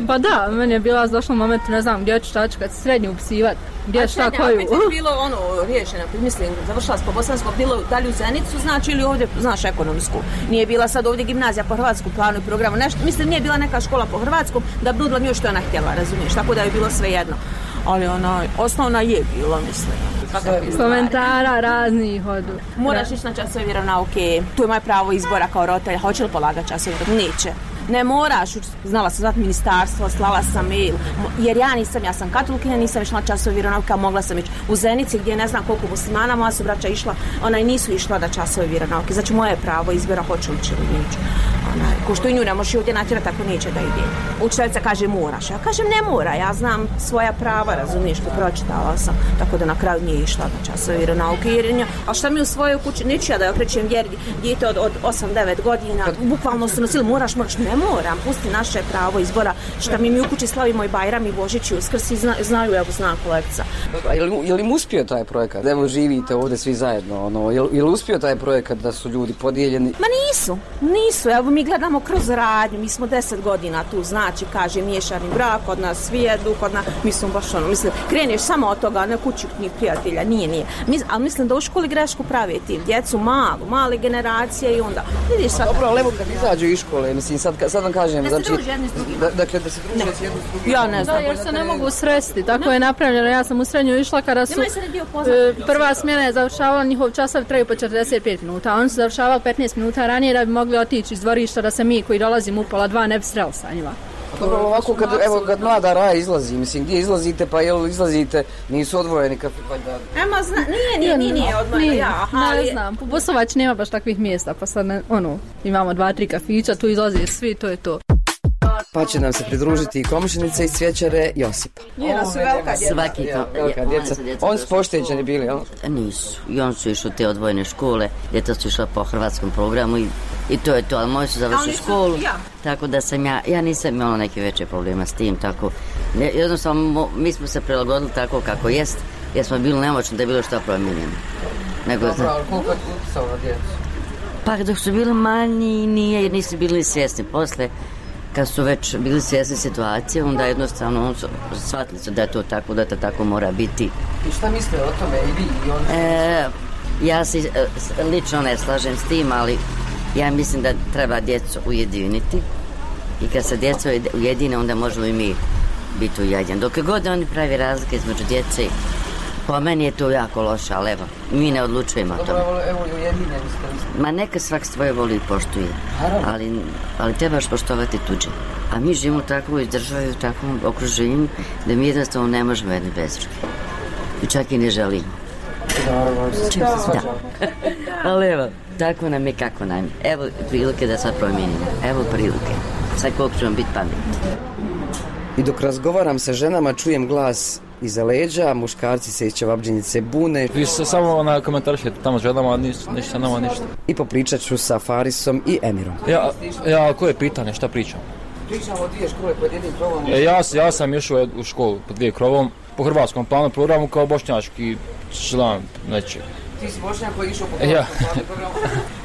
Pa da, meni je bila došla moment, ne znam, gdje ću šta ću kad srednju upsivat, gdje šta koju. A opet je bilo riješeno, mislim, završila s po bosanskom, bilo dalje u Zenicu, znači, ili ovdje, znaš, ekonomsku. Nije bila sad ovdje gimnazija po hrvatskom planu i programu, nešto, mislim, nije bila neka škola po hrvatskom, da bi nudila njoj što je ona htjela, razumiješ, tako da je bilo sve jedno. Ali osnovna je bila, mislim. Komentara raznih hodu. Moraš ići na časove vjeronauke, tu je moje pravo izbora kao roditelja, hoće li polagati časove vjeronauke? Neće. Ne moraš, znala sam zvati ministarstvo, slala sam mail, jer ja sam katolikinja, nisam išla na časove vjeronauke, mogla sam ići u Zenici gdje ne znam koliko muslimana, moja su braća išla, ona i nisu išla da časove vjeronauke, znači moje pravo izbora hoću li će li neću. Ko što i nju ne možeš ovdje natjerati ako neće da ide. Učiteljica kaže moraš, ja kažem ne mora, ja znam svoja prava, razumiješ, što pročitala sam, tako da na kraju nije išla na časove vjeronauke. A šta mi u svojoj kući, neću ja da okrećem vjeri, dijete od 8-9 godina, bukvalno su nosili, moraš, ne moram, pusti naše pravo izbora, šta mi u kući slavimo i Bajram i Božić i Uskrs i znaju, evo zna kolegica. Je li uspio taj projekat? Evo živite ovdje svi zajedno, je li uspio taj projekat da su ljudi podijeljeni? Ma nisu, evo mi gledamo kroz radnju, mi smo 10 godina tu, znači, kaže, miješani brak, kod nas svi jedu, kod nas, mi smo baš kreneš samo od toga, ne kući ni prijatelja, nije. Ali mislim da u školi grešku prave tim, djecu male generacije i onda, vidiš sad. Dobro, ali evo kad izađu iz škole, mislim, sad sad vam kažem, da znači, se druže jedni s drugim. Dakle, da se druže s jednim s drugim. Ja ne znam. Da, jer se ne mogu sresti, tako je napravljeno. Ja sam u srednju išla kada su prva smjena je završavala, njihov časovi traju po 45 minuta, oni su završavali 15 minuta ranije da bi mogli otići iz dvorišta, da se mi koji dolazimo u pola 2 ne bi sreli sa njima. Dobro, ovako kad mlada Raja izlazi, mislim, gdje izlazite, pa jel izlazite, nisu odvojeni kafe, valjda. Nije odvojeno, ja. Ne znam, po Bosovać nema baš takvih mjesta, pa sad imamo 2-3 kafića, tu izlazi svi, to je to. Pa će nam se pridružiti i komšinica iz Cvjećare Josipa. Njena su velika djeca. Svaki to. Velika djeca. Oni su pošteđeni bili, jel? Nisu. I oni su išli u te odvojene škole, djeca su išla po hrvatskom programu i to je to, ali moji su završili školu. Tako da sam ja nisam imala neke veće problema s tim, tako. Jednostavno, mi smo se prilagodili tako kako jest, jer smo bili nemoćni da je bilo što promijenjeno. Dobro, ali koliko je utjecalo na djecu? Pa dok su bili manji, nije, jer nisu bili svjesni. Posle, kad su već bili svjesni situacije, onda jednostavno shvatili su da je to tako, da to tako mora biti. I šta misle o tome i vi i oni? Ja se lično ne slažem s tim, ali ja mislim da treba djecu ujediniti i kad se djeca ujedine, onda možemo i mi biti ujedinjeni. Dok god oni pravi razlike između djece, po meni je to jako loše, ali evo, mi ne odlučujemo o tome. Evo ujedinjeni ste. Ma neka svak svoje voli i poštuje, ali trebaš poštovati tuđe. A mi živimo u takvoj državi, u takvom okruženju, da mi jednostavno ne možemo jedni bez druge. I čak i ne želimo. Da. Ali evo, tako nam je kako nam je. Evo prilike da sad promijenimo. Evo prilike. Sad koliko ćemo biti pametni. I dok razgovaram sa ženama, čujem glas iza leđa, muškarci se iz Čevabdžinice bune. Vi se samo komentarišete tamo s ženama, ništa nama ništa. I popričat ću sa Farisom i Emirom. Ja, koje pitanje, šta pričam? Pričamo o 2 škole pod jednim krovom. Ja sam išao u školu pod 2 krovom, po hrvatskom planu programu kao bošnjački član nečeg. Ti si Bošnjak koji je išao po hrvatskom planu programu?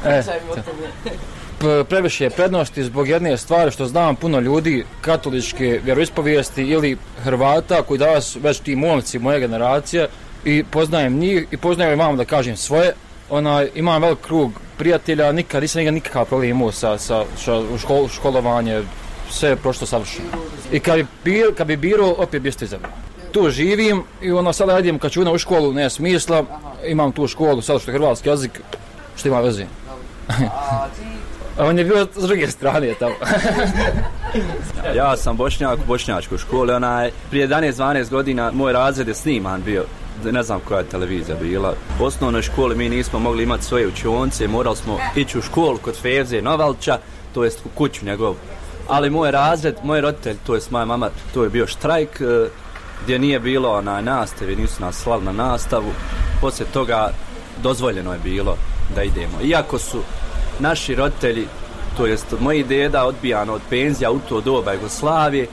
Pričaj mi o tome. Previše je prednosti zbog jedne stvari što znam puno ljudi katoličke vjeroispovijesti ili Hrvata koji danas već ti momci moje generacije i poznajem njih i poznajem imam da kažem svoje. Imam velik krug prijatelja, nisam nikakav problem imao sa školovanje, sve je prošlo savršeno. I kad bi birao, opet biste izabrao. Tu živim i sada idem kad ću u školu, nema smisla, imam tu školu, sada što je hrvatski jezik, što ima veze. A on je bio s druge strane tamo. Ja sam Bošnjak u bošnjačkoj školi, prije 11-12 godina moj razred je sniman bio, ne znam koja je televizija bila. U osnovnoj školi mi nismo mogli imati svoje učionce, morali smo ići u školu kod Fevze Novalča, to jest u kuću njegov. Ali moj razred, moj roditelj, to jest moja mama, to je bio štrajk gdje nije bilo nastave, nisu nas slali na nastavu. Poslije toga dozvoljeno je bilo da idemo. Iako su naši roditelji, to jest moji deda odbijano od penzija u to doba Jugoslavije,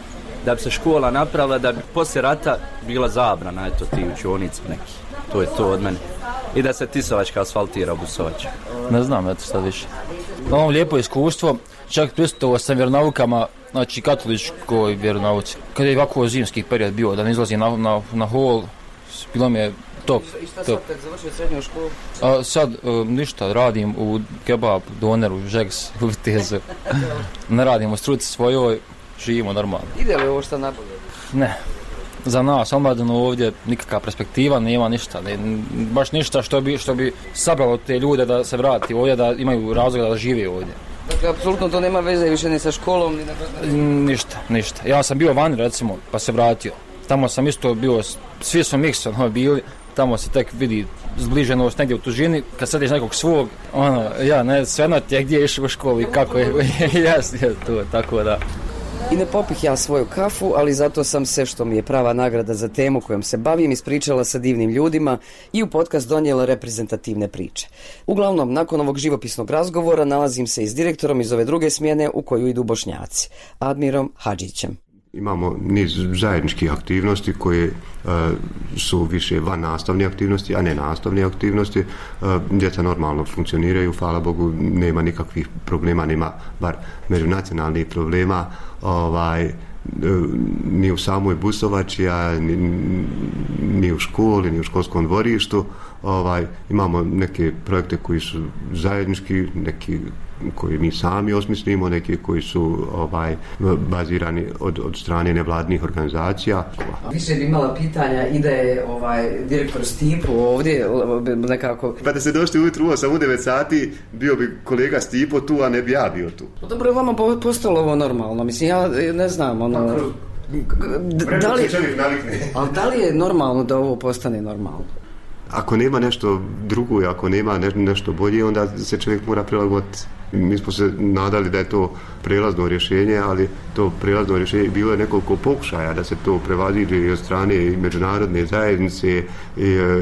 da bi se škola napravila, da bi poslije rata bila zabrana, eto ti učionica neki. To je to od mene. I da se Tisovačka asfaltira u Busovaču. Ne znam, eto sad više. Ovo lijepo iskustvo, čak prisustvovao sam vjeronaukama, znači katoličkoj vjeronauci. Kad je ovako zimski period bio, da ne izlazi na hol, bilo mi je top. I šta sad kad završio srednju školu? Sad ništa, radim u kebab, doneru, žeks, u Vitezu. Ne radim u struci svojoj, živimo normalno. Ide li ovo što nabolje? Ne. Za nas, omladinu ovdje nikakva perspektiva, nema ništa. Baš ništa što bi sabralo te ljude da se vrati ovdje, da imaju razloga da žive ovdje. Dakle, apsolutno to nema veze više ni sa školom, ni na... Ništa. Ja sam bio vani, recimo, pa se vratio. Tamo sam isto bio, svi su miksom bili, tamo se tek vidi zbliženost negdje u tužini, kad sadiš nekog svog, svejedno ti je gdje je išao u školu i kako je, to, tako da. I ne popih ja svoju kafu, ali zato sam se, što mi je prava nagrada za temu kojom se bavim, ispričala sa divnim ljudima i u podcast donijela reprezentativne priče. Uglavnom, nakon ovog živopisnog razgovora nalazim se i s direktorom iz ove druge smjene u koju idu Bošnjaci, Admirom Hadžićem. Imamo niz zajedničkih aktivnosti koje su više van nastavne aktivnosti, a ne nastavne aktivnosti. Djeca normalno funkcioniraju, hvala Bogu, nema nikakvih problema, nema bar međunacionalnih problema, ni u samoj Busovači, ni u školi, ni u školskom dvorištu. imamo neke projekte koji su zajednički, neki koji mi sami osmislimo, neki koji su bazirani od strane nevladnih organizacija. Više bi imala pitanja i da je direktor Stipo ovdje nekako... Pa da se došli ujutru u 9 sati, bio bi kolega Stipo tu, a ne bi ja bio tu. Dobro, je vama postalo ovo normalno? Mislim, ja ne znam, da li je normalno da ovo postane normalno? Ako nema nešto drugo i ako nema nešto bolje, onda se čovjek mora prilagoditi. Mi smo se nadali da je to prijelazno rješenje, ali to prijelazno rješenje bilo je nekoliko pokušaja da se to prevaziđe i od strane i međunarodne zajednice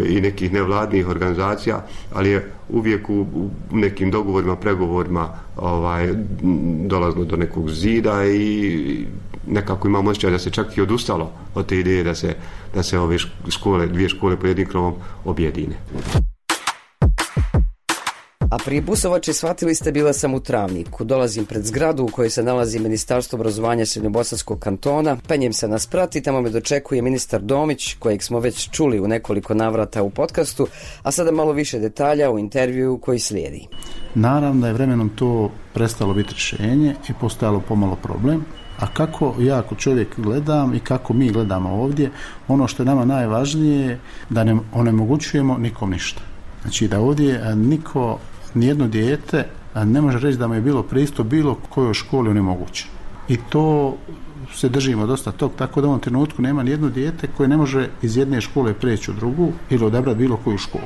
i nekih nevladnih organizacija, ali je uvijek u nekim dogovorima, pregovorima dolazilo do nekog zida i nekako imamo osjećaj da se čak i odustalo od te ideje da se ove dvije škole pod jednim krovom objedine. A prije Busovače, shvatili ste, bila sam u Travniku. Dolazim pred zgradu u kojoj se nalazi Ministarstvo obrazovanja Srednjobosanskog kantona. Penjem se na sprat i tamo me dočekuje ministar Domić, kojeg smo već čuli u nekoliko navrata u podcastu, a sada malo više detalja u intervju koji slijedi. Naravno da je vremenom to prestalo biti rješenje i postojalo pomalo problem. A kako ja kao čovjek gledam i kako mi gledamo ovdje, ono što je nama najvažnije je da ne onemogućujemo nikom ništa. Znači da ovdje nijedno dijete ne može reći da mu je bilo pristup bilo kojoj školi onemogućen. I to se držimo dosta tog, tako da u ovom trenutku nema nijedno dijete koje ne može iz jedne škole preći u drugu ili odabrati bilo koju školu.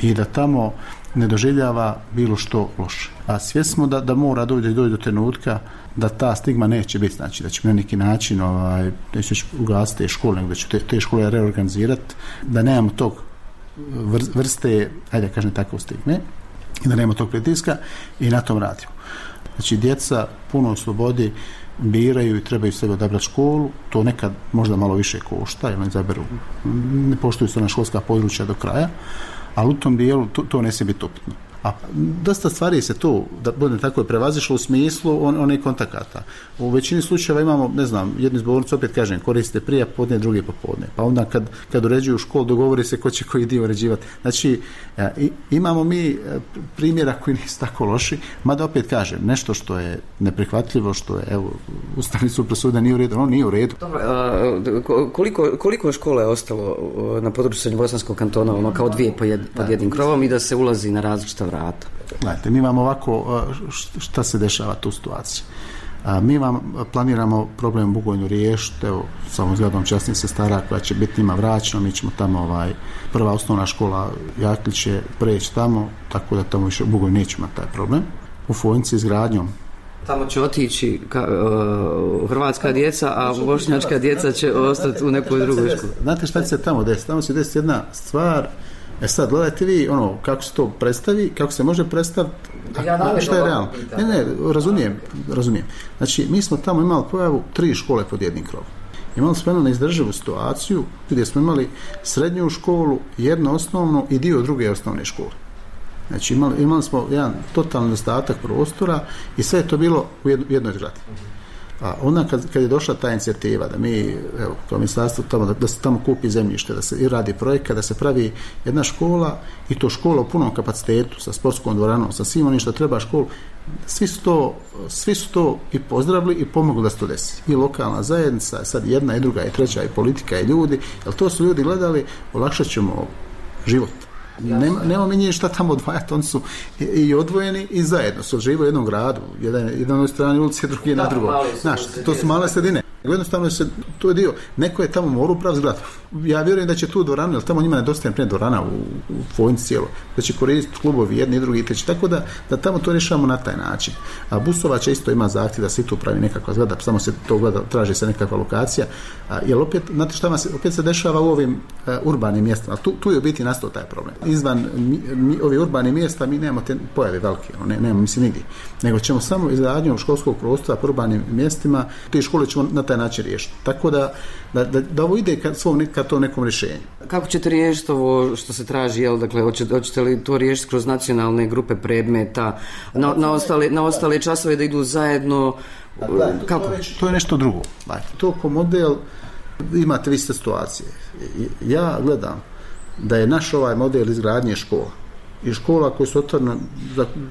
I da tamo ne doživljava bilo što loše. A svjesni smo da mora doći do trenutka da ta stigma neće biti, znači da će na neki način neće ugasiti te škole, nego da će te škole reorganizirati, da nemamo tog vrste, ajde kažem tako, stigme i da nemamo tog pritiska i na tom radimo. Znači djeca puno u slobodi biraju i trebaju sebe odabrati školu, to nekad možda malo više košta, jer ne poštuju se na školska područja do kraja, ali u tom dijelu to ne smije biti upitno. A dosta stvari se tu, da budem tako, prevazišlo u smislu onih kontakata. U većini slučajeva imamo, ne znam, jednu zbornicu, opet kažem, koriste prije podne, drugi popodne. Pa onda kad uređuju školu, dogovori se ko će koji dio uređivati. Znači, imamo mi primjera koji nisu tako loši, mada opet kažem, nešto što je neprihvatljivo, što je, evo, Ustavni sud presudio nije u redu, ono nije u redu. Dobro, koliko škola je ostalo na području Srednjobosanskog kantona, ono kao dvije pod jednim krovom i da se ulazi na različita vrata? Gledajte, mi vam ovako, šta se dešava tu situaciji? Mi vam planiramo problem u Bugojnu riješiti, evo, samo zgradom časnih sestara koja će biti njima vraćena, mi ćemo tamo, prva osnovna škola Jaklić će preći tamo, tako da tamo više u Bugojnu nećemo imati taj problem. U Fojnici izgradnjom. Tamo će otići hrvatska djeca, a bošnjačka djeca će ostati u nekoj drugoj školi. Znate šta će se tamo desiti? Tamo će desiti jedna stvar. Sad, gledajte vi, kako se to predstavi, kako se može predstaviti, što je realno. Ne, razumijem. Znači, mi smo tamo imali pojavu 3 škole pod jednim krovom. Imali smo jednu neizdrživu situaciju gdje smo imali srednju školu, jednu osnovnu i dio druge osnovne škole. Znači, imali smo jedan totalni nedostatak prostora i sve je to bilo u jednoj zgradi. A onda kad je došla ta inicijativa da mi, evo, kao ministarstvo tamo, da se tamo kupi zemljište, da se i radi projekat, da se pravi jedna škola i to škola u punom kapacitetu sa sportskom dvoranom, sa svim onim što treba školu, svi su to i pozdravili i pomogli da se to desi. I lokalna zajednica, sad jedna i druga i treća i politika i ljudi, jer to su ljudi gledali, olakšat ćemo život. Nema mi nije šta tamo odvajati, oni su i odvojeni i zajedno su žive u jednom gradu, jedan na jednoj strani ulici, drugi na drugom. Znaš, to su male sredine. Jednostavno to je dio, neko je tamo morao upraviti zgradu. Ja vjerujem da će tu dvoranu, jer tamo njima nedostaje prije dvorana u Fojnici cijelo, da će koristiti klubovi jedni i drugi i treći, tako da tamo to rješavamo na taj način. A Busovača isto ima zahtjev da se tu pravi nekakva zgrada, samo se to gleda, traži se nekakva lokacija, jer opet, znate šta opet se dešava u ovim urbanim mjestima, tu je u biti nastao taj problem. Izvan ovih urbanih mjesta mi nemamo te pojave velike, nemamo mislim nigdje, nego ćemo samo izgradnjom školskog prostora po urbanim mjestima, te škole ćemo na taj način riješiti. Tako da ovo ide ka to nekom rješenju. Kako ćete riješiti ovo što se traži, dakle, hoćete li to riješiti kroz nacionalne grupe predmeta, na ostale časove da idu zajedno? Kako? To je nešto drugo. To ko model imate vi situacije. Ja gledam da je naš ovaj model izgradnje škola i škola koje su otvorene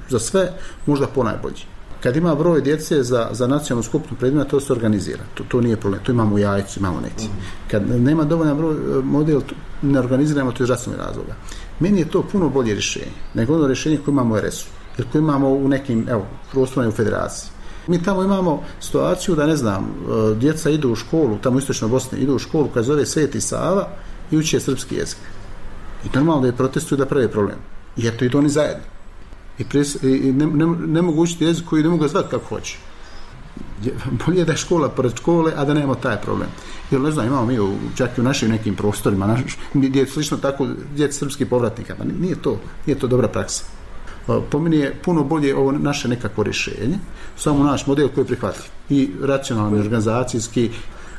za sve možda ponajbolji. Kad ima broj djece za nacionalnu skupinu predmeta, to se organizira. To nije problem. To imamo u Jajcu, imamo neki. Kad nema dovoljan broj model, ne organiziramo to iz zdravstvenih razloga. Meni je to puno bolje rješenje nego ono rješenje koje imamo u RS-u ili koje imamo u nekim prostorima u federaciji. Mi tamo imamo situaciju da, ne znam, djeca idu u školu, tamo u istočnoj Bosni, idu u školu koja zove Sveti Sava i uče srpski jezik. I normalno da je protestuju da prave problem. I eto, idu oni zajedno. I ne mogu učiti jezik koji ne mogu zvati kako hoće. Bolje da je škola pored škole, a da nemamo taj problem. Jer ne znam, imamo mi čak i u našim nekim prostorima, gdje je slično tako djeca srpskih povratnika. Nije to dobra praksa. Po meni je puno bolje ovo naše nekako rješenje, samo naš model koji je prihvatljiv. I racionalni, organizacijski,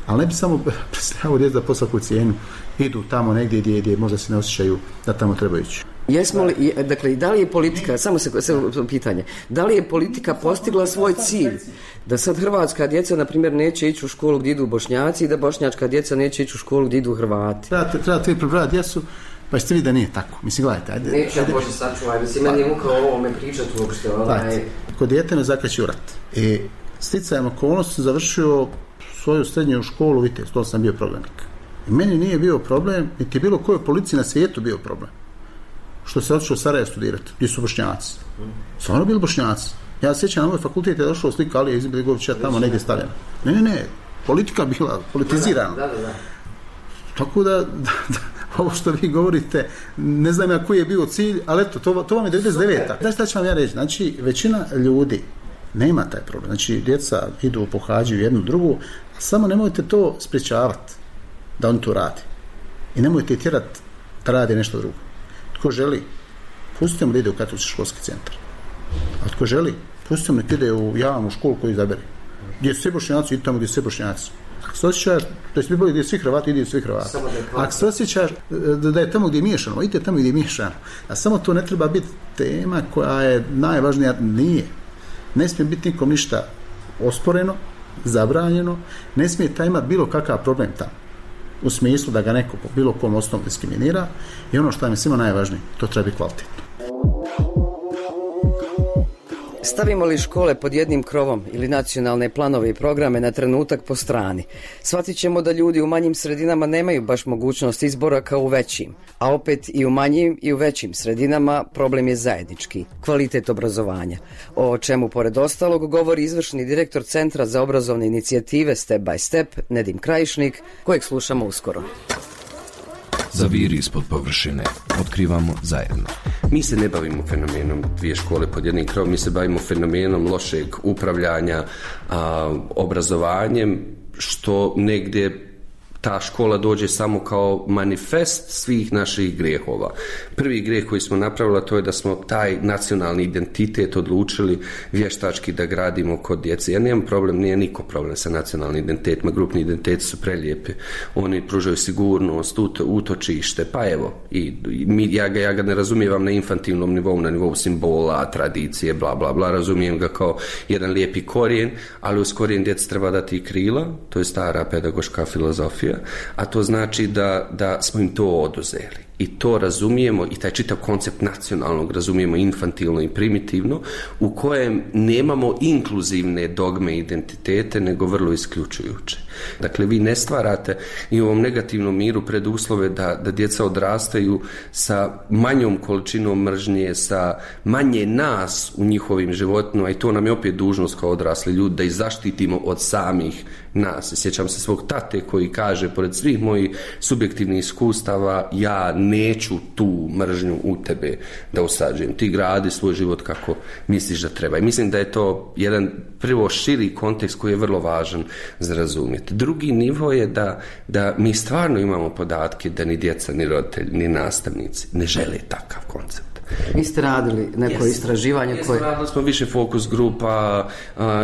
ali ne bi samo predstavljamo djeca po svaku cijenu, idu tamo negdje gdje možda se ne osjećaju da tamo trebaju ići. Jesmo li, dakle, da li je politika, samo pitanje, da li je politika postigla svoj cilj? Da sad hrvatska djeca, na primjer, neće ići u školu gdje idu Bošnjaci i da bošnjačka djeca neće ići u školu gdje idu Hrvati? Trebate prebrati djecu, pa ćete vidjeti da nije tako. Mislim, gledajte, ajde. Neću ja Bože sačuvaj, mislim, meni je muka o ovome pričati uopšte. Kod dijete me zakreće u rat. I sticajem okolnosti završio svoju srednju školu, vidite, to sam bio prognanik. I meni nije bio problem, niti je bilo kojoj policiji na svijetu bio problem. Što se otišao u Sarajevo studirati, gdje su Bošnjaci. Stvarno bili Bošnjaci. Ja se sjećam, na moj fakultet je došao slika Alije Izetbegovića tamo negdje stavljena. Ne, politika bila politizirana. Da. Tako da ovo što vi govorite, ne znam ja koji je bio cilj, ali eto, to vam je 99. Da šta ću vam ja reći? Znači, većina ljudi nema taj problem. Znači, djeca idu, pohađaju jednu drugu, a samo nemojte to sprječavati da oni to rade. I nemojte tjerati da rade nešto drugo. Tko želi, pustite mu da ide u katolički školski centar. A tko želi, pustite mu da ide u javnu školu koju izabere. Gdje su svi Bošnjaci, ide tamo gdje su svi Bošnjaci. Ako se osjećaš, to je bolje gdje svi Hrvati, ide svi Hrvati. Ako se osjećaš da je tamo gdje je miješano, idite tamo gdje je miješano. A samo to ne treba biti tema koja je najvažnija. Nije. Ne smije biti nikom ništa osporeno, zabranjeno. Ne smije taj imati bilo kakav problem tamo. U smislu da ga neko po bilo kom osnovu diskriminira. I ono što je svima najvažnije, to treba biti kvalitetno. Stavimo li škole pod jednim krovom ili nacionalne planove i programe na trenutak po strani, shvatit ćemo da ljudi u manjim sredinama nemaju baš mogućnost izbora kao u većim, a opet i u manjim i u većim sredinama problem je zajednički, kvalitet obrazovanja, o čemu pored ostalog govori izvršni direktor Centra za obrazovne inicijative Step by Step, Nedim Krajišnik, kojeg slušamo uskoro. Zaviri ispod površine. Otkrivamo zajedno. Mi se ne bavimo fenomenom dvije škole pod jednim krovom, mi se bavimo fenomenom lošeg upravljanja obrazovanjem, što negdje ta škola dođe samo kao manifest svih naših grijehova. Prvi grijeh koji smo napravili, to je da smo taj nacionalni identitet odlučili vještački da gradimo kod djece. Ja nemam problem, nije niko problem sa nacionalnim identitetima, grupni identiteti su prelijepi. Oni pružaju sigurnost, utočište, pa evo, ja ga ne razumijem na infantilnom nivou, na nivou simbola, tradicije, bla, bla, bla, razumijem ga kao jedan lijepi korijen, ali uz korijen djeca treba dati i krila, to je stara pedagoška filozofija, a to znači da smo im to oduzeli. I to razumijemo, i taj čitav koncept nacionalnog razumijemo infantilno i primitivno, u kojem nemamo inkluzivne dogme i identitete, nego vrlo isključujuće. Dakle, vi ne stvarate i u ovom negativnom miru preduslove da djeca odrastaju sa manjom količinom mržnje, sa manje nas u njihovim životima, i to nam je opet dužnost kao odrasli ljudi, da ih zaštitimo od samih nas. Sjećam se svog tate koji kaže, pored svih mojih subjektivnih iskustava, ja neću tu mržnju u tebe da usađujem. Ti gradi svoj život kako misliš da treba. I mislim da je to jedan prvo širi kontekst koji je vrlo važan za razumjeti. Drugi nivo je da mi stvarno imamo podatke da ni djeca, ni roditelji, ni nastavnici ne žele takav koncept. Vi ste radili neko istraživanje koje... Radili smo više fokus grupa,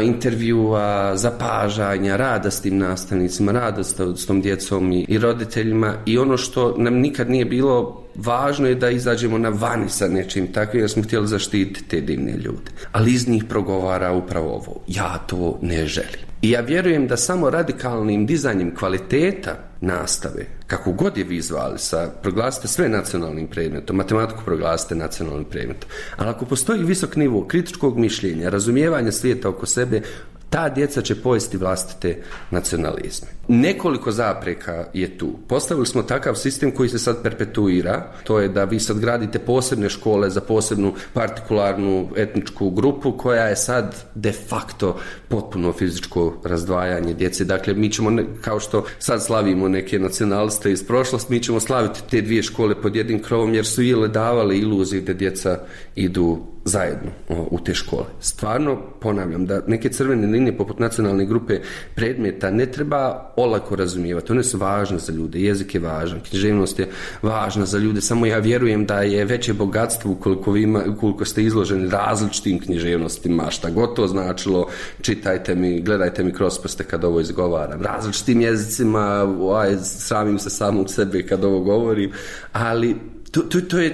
intervjua, zapažanja, rada s tim nastavnicima, rada s tom djecom i roditeljima, i ono što nam nikad nije bilo važno je da izađemo na vani sa nečim takvim, jer smo htjeli zaštititi te divne ljude. Ali iz njih progovara upravo ovo: ja to ne želim. I ja vjerujem da samo radikalnim dizanjem kvaliteta nastave, kako god je vi zvali, proglasite sve nacionalnim predmetom, matematiku proglasite nacionalnim predmetom, ali ako postoji visok nivo kritičkog mišljenja, razumijevanja svijeta oko sebe, ta djeca će pojesti vlastite nacionalizme. Nekoliko zapreka je tu. Postavili smo takav sistem koji se sad perpetuira, to je da vi sad gradite posebne škole za posebnu partikularnu etničku grupu koja je sad de facto potpuno fizičko razdvajanje djece. Dakle, mi ćemo, kao što sad slavimo neke nacionaliste iz prošlosti, mi ćemo slaviti te dvije škole pod jednim krovom jer su ili davali iluziju da djeca idu zajedno u te škole. Stvarno ponavljam da neke crvene linije poput nacionalne grupe predmeta ne treba olako razumijevati. One su važne za ljude, jezik je važan, književnost je važna za ljude, samo ja vjerujem da je veće bogatstvo ukoliko ste izloženi različitim književnostima, šta god to značilo, čitajte mi, gledajte mi kroz prste kad ovo izgovaram, različitim jezicima, sramim se samog sebe kad ovo govorim, ali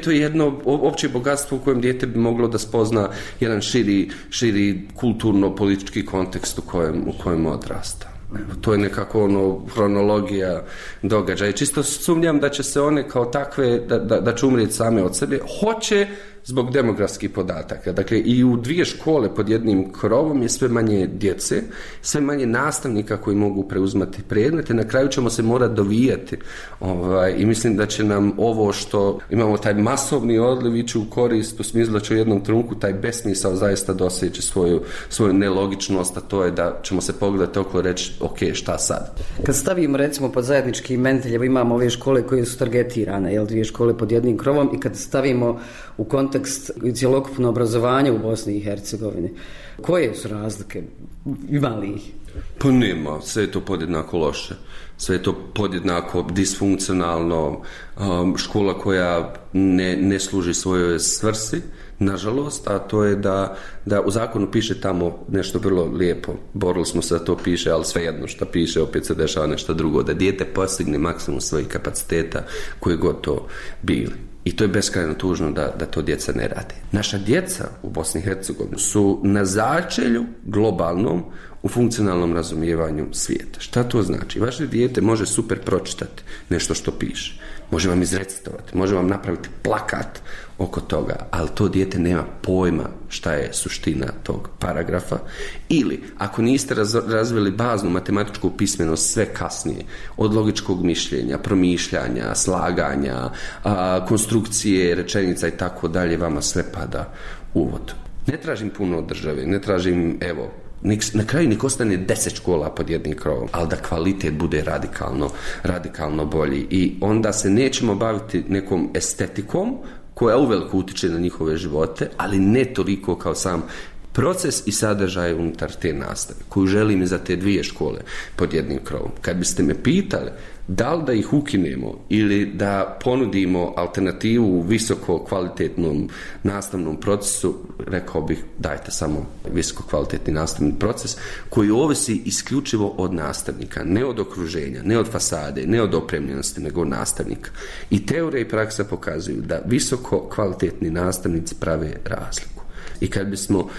to je jedno opće bogatstvo u kojem dijete bi moglo da spozna jedan širi kulturno-politički kontekst u kojem odrasta. To je nekako hronologija događaja. Čisto sumnjam da će se one kao takve, da će umrijeti same od sebe. Hoće zbog demografskih podataka. Dakle, i u dvije škole pod jednim krovom je sve manje djece, sve manje nastavnika koji mogu preuzimati predmete. Na kraju ćemo se morati dovijati. I mislim da će nam ovo što imamo taj masovni odliv ići u korist, u smislu da će u jednom trenutku taj besmisao zaista doseći svoju nelogičnost, a to je da ćemo se pogledati okolo reći, ok, šta sad? Kad stavimo recimo pod zajednički imenitelj, imamo ove škole koje su targetirane, dvije škole pod jednim krovom, i kad stavimo u kontekst cjelokupno obrazovanje u Bosni i Hercegovini, koje su razlike? Ima li ih? Pa nema, sve je to podjednako loše. Sve je to podjednako disfunkcionalno, škola koja ne služi svojoj svrsi, nažalost, a to je da u zakonu piše tamo nešto vrlo lijepo. Borili smo se da to piše, ali svejedno što piše, opet se dešava nešto drugo. Da dijete postigne maksimum svojih kapaciteta koje god to bili. I to je beskrajno tužno da to djeca ne rade. Naša djeca u Bosni i Hercegovini su na začelju globalnom u funkcionalnom razumijevanju svijeta. Šta to znači? Vaše dijete može super pročitati nešto što piše. Može vam izrecitovati, može vam napraviti plakat oko toga, ali to dijete nema pojma šta je suština tog paragrafa. Ili, ako niste razvili baznu matematičku pismenost sve kasnije, od logičkog mišljenja, promišljanja, slaganja, konstrukcije, rečenica i tako dalje, vama sve pada u vodu. Ne tražim puno od države, ne tražim, na kraju nek ostane 10 škola pod jednim krovom, ali da kvalitet bude radikalno bolji. I onda se nećemo baviti nekom estetikom koja uveliko utiče na njihove živote, ali ne toliko kao sam proces i sadržaj unutar te nastave, koju želim i za te dvije škole pod jednim krovom. Kad biste me pitali da li da ih ukinemo ili da ponudimo alternativu u visoko kvalitetnom nastavnom procesu, rekao bih dajte samo visoko kvalitetni nastavni proces koji ovisi isključivo od nastavnika, ne od okruženja, ne od fasade, ne od opremljenosti, nego od nastavnika. I teorija i praksa pokazuju da visoko kvalitetni nastavnici prave razliku. I kad bismo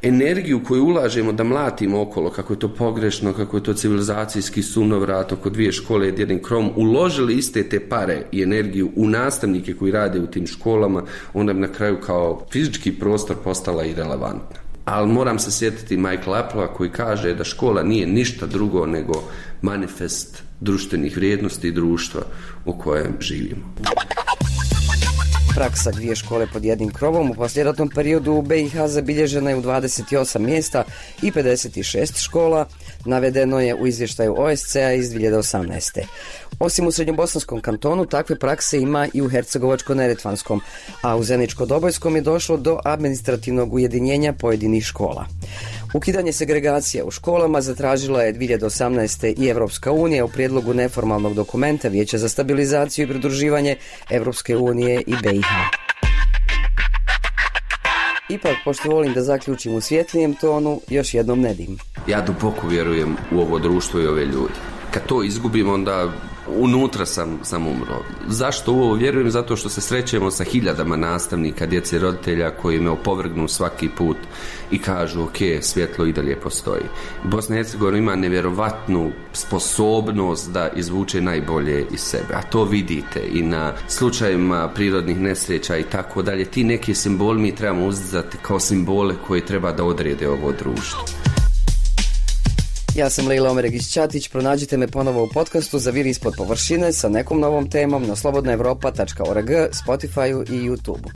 energiju koju ulažemo da mlatimo okolo, kako je to pogrešno, kako je to civilizacijski sunovrat oko dvije škole i jednim krovom, uložili iste te pare i energiju u nastavnike koji rade u tim školama, onda bi na kraju kao fizički prostor postala irelevantna. Ali moram se sjetiti Michaela Applea koji kaže da škola nije ništa drugo nego manifest društvenih vrijednosti i društva u kojem živimo. Praksa dvije škole pod jednim krovom u poslijeratnom periodu u BiH zabilježena je u 28 mjesta i 56 škola, navedeno je u izvještaju OSCE-a iz 2018. Osim u Srednjobosanskom kantonu, takve prakse ima i u Hercegovačko-neretvanskom, a u Zeničko-Dobojskom je došlo do administrativnog ujedinjenja pojedinih škola. Ukidanje segregacije u školama zatražila je 2018. i Evropska unija u prijedlogu neformalnog dokumenta Vijeća za stabilizaciju i pridruživanje Evropske unije i BiH. Ipak, pošto volim da zaključim u svjetlijem tonu, još jednom ne dim. Ja duboko vjerujem u ovo društvo i ove ljudi. Kad to izgubimo, onda unutra sam umro. Zašto u ovo vjerujem? Zato što se srećemo sa hiljadama nastavnika, djece i roditelja koji me opovrgnu svaki put i kažu ok, svjetlo i dalje postoji. Bosna i Hercegovina ima nevjerovatnu sposobnost da izvuče najbolje iz sebe, a to vidite i na slučajima prirodnih nesreća i tako dalje. Ti neki simboli mi trebamo uzdizati kao simbole koji treba da odrede ovo društvo. Ja sam Lejla Omeregić-Ćatić, pronađite me ponovo u podcastu Zaviri ispod površine sa nekom novom temom na slobodnaevropa.org, Spotify-u i YouTube-u.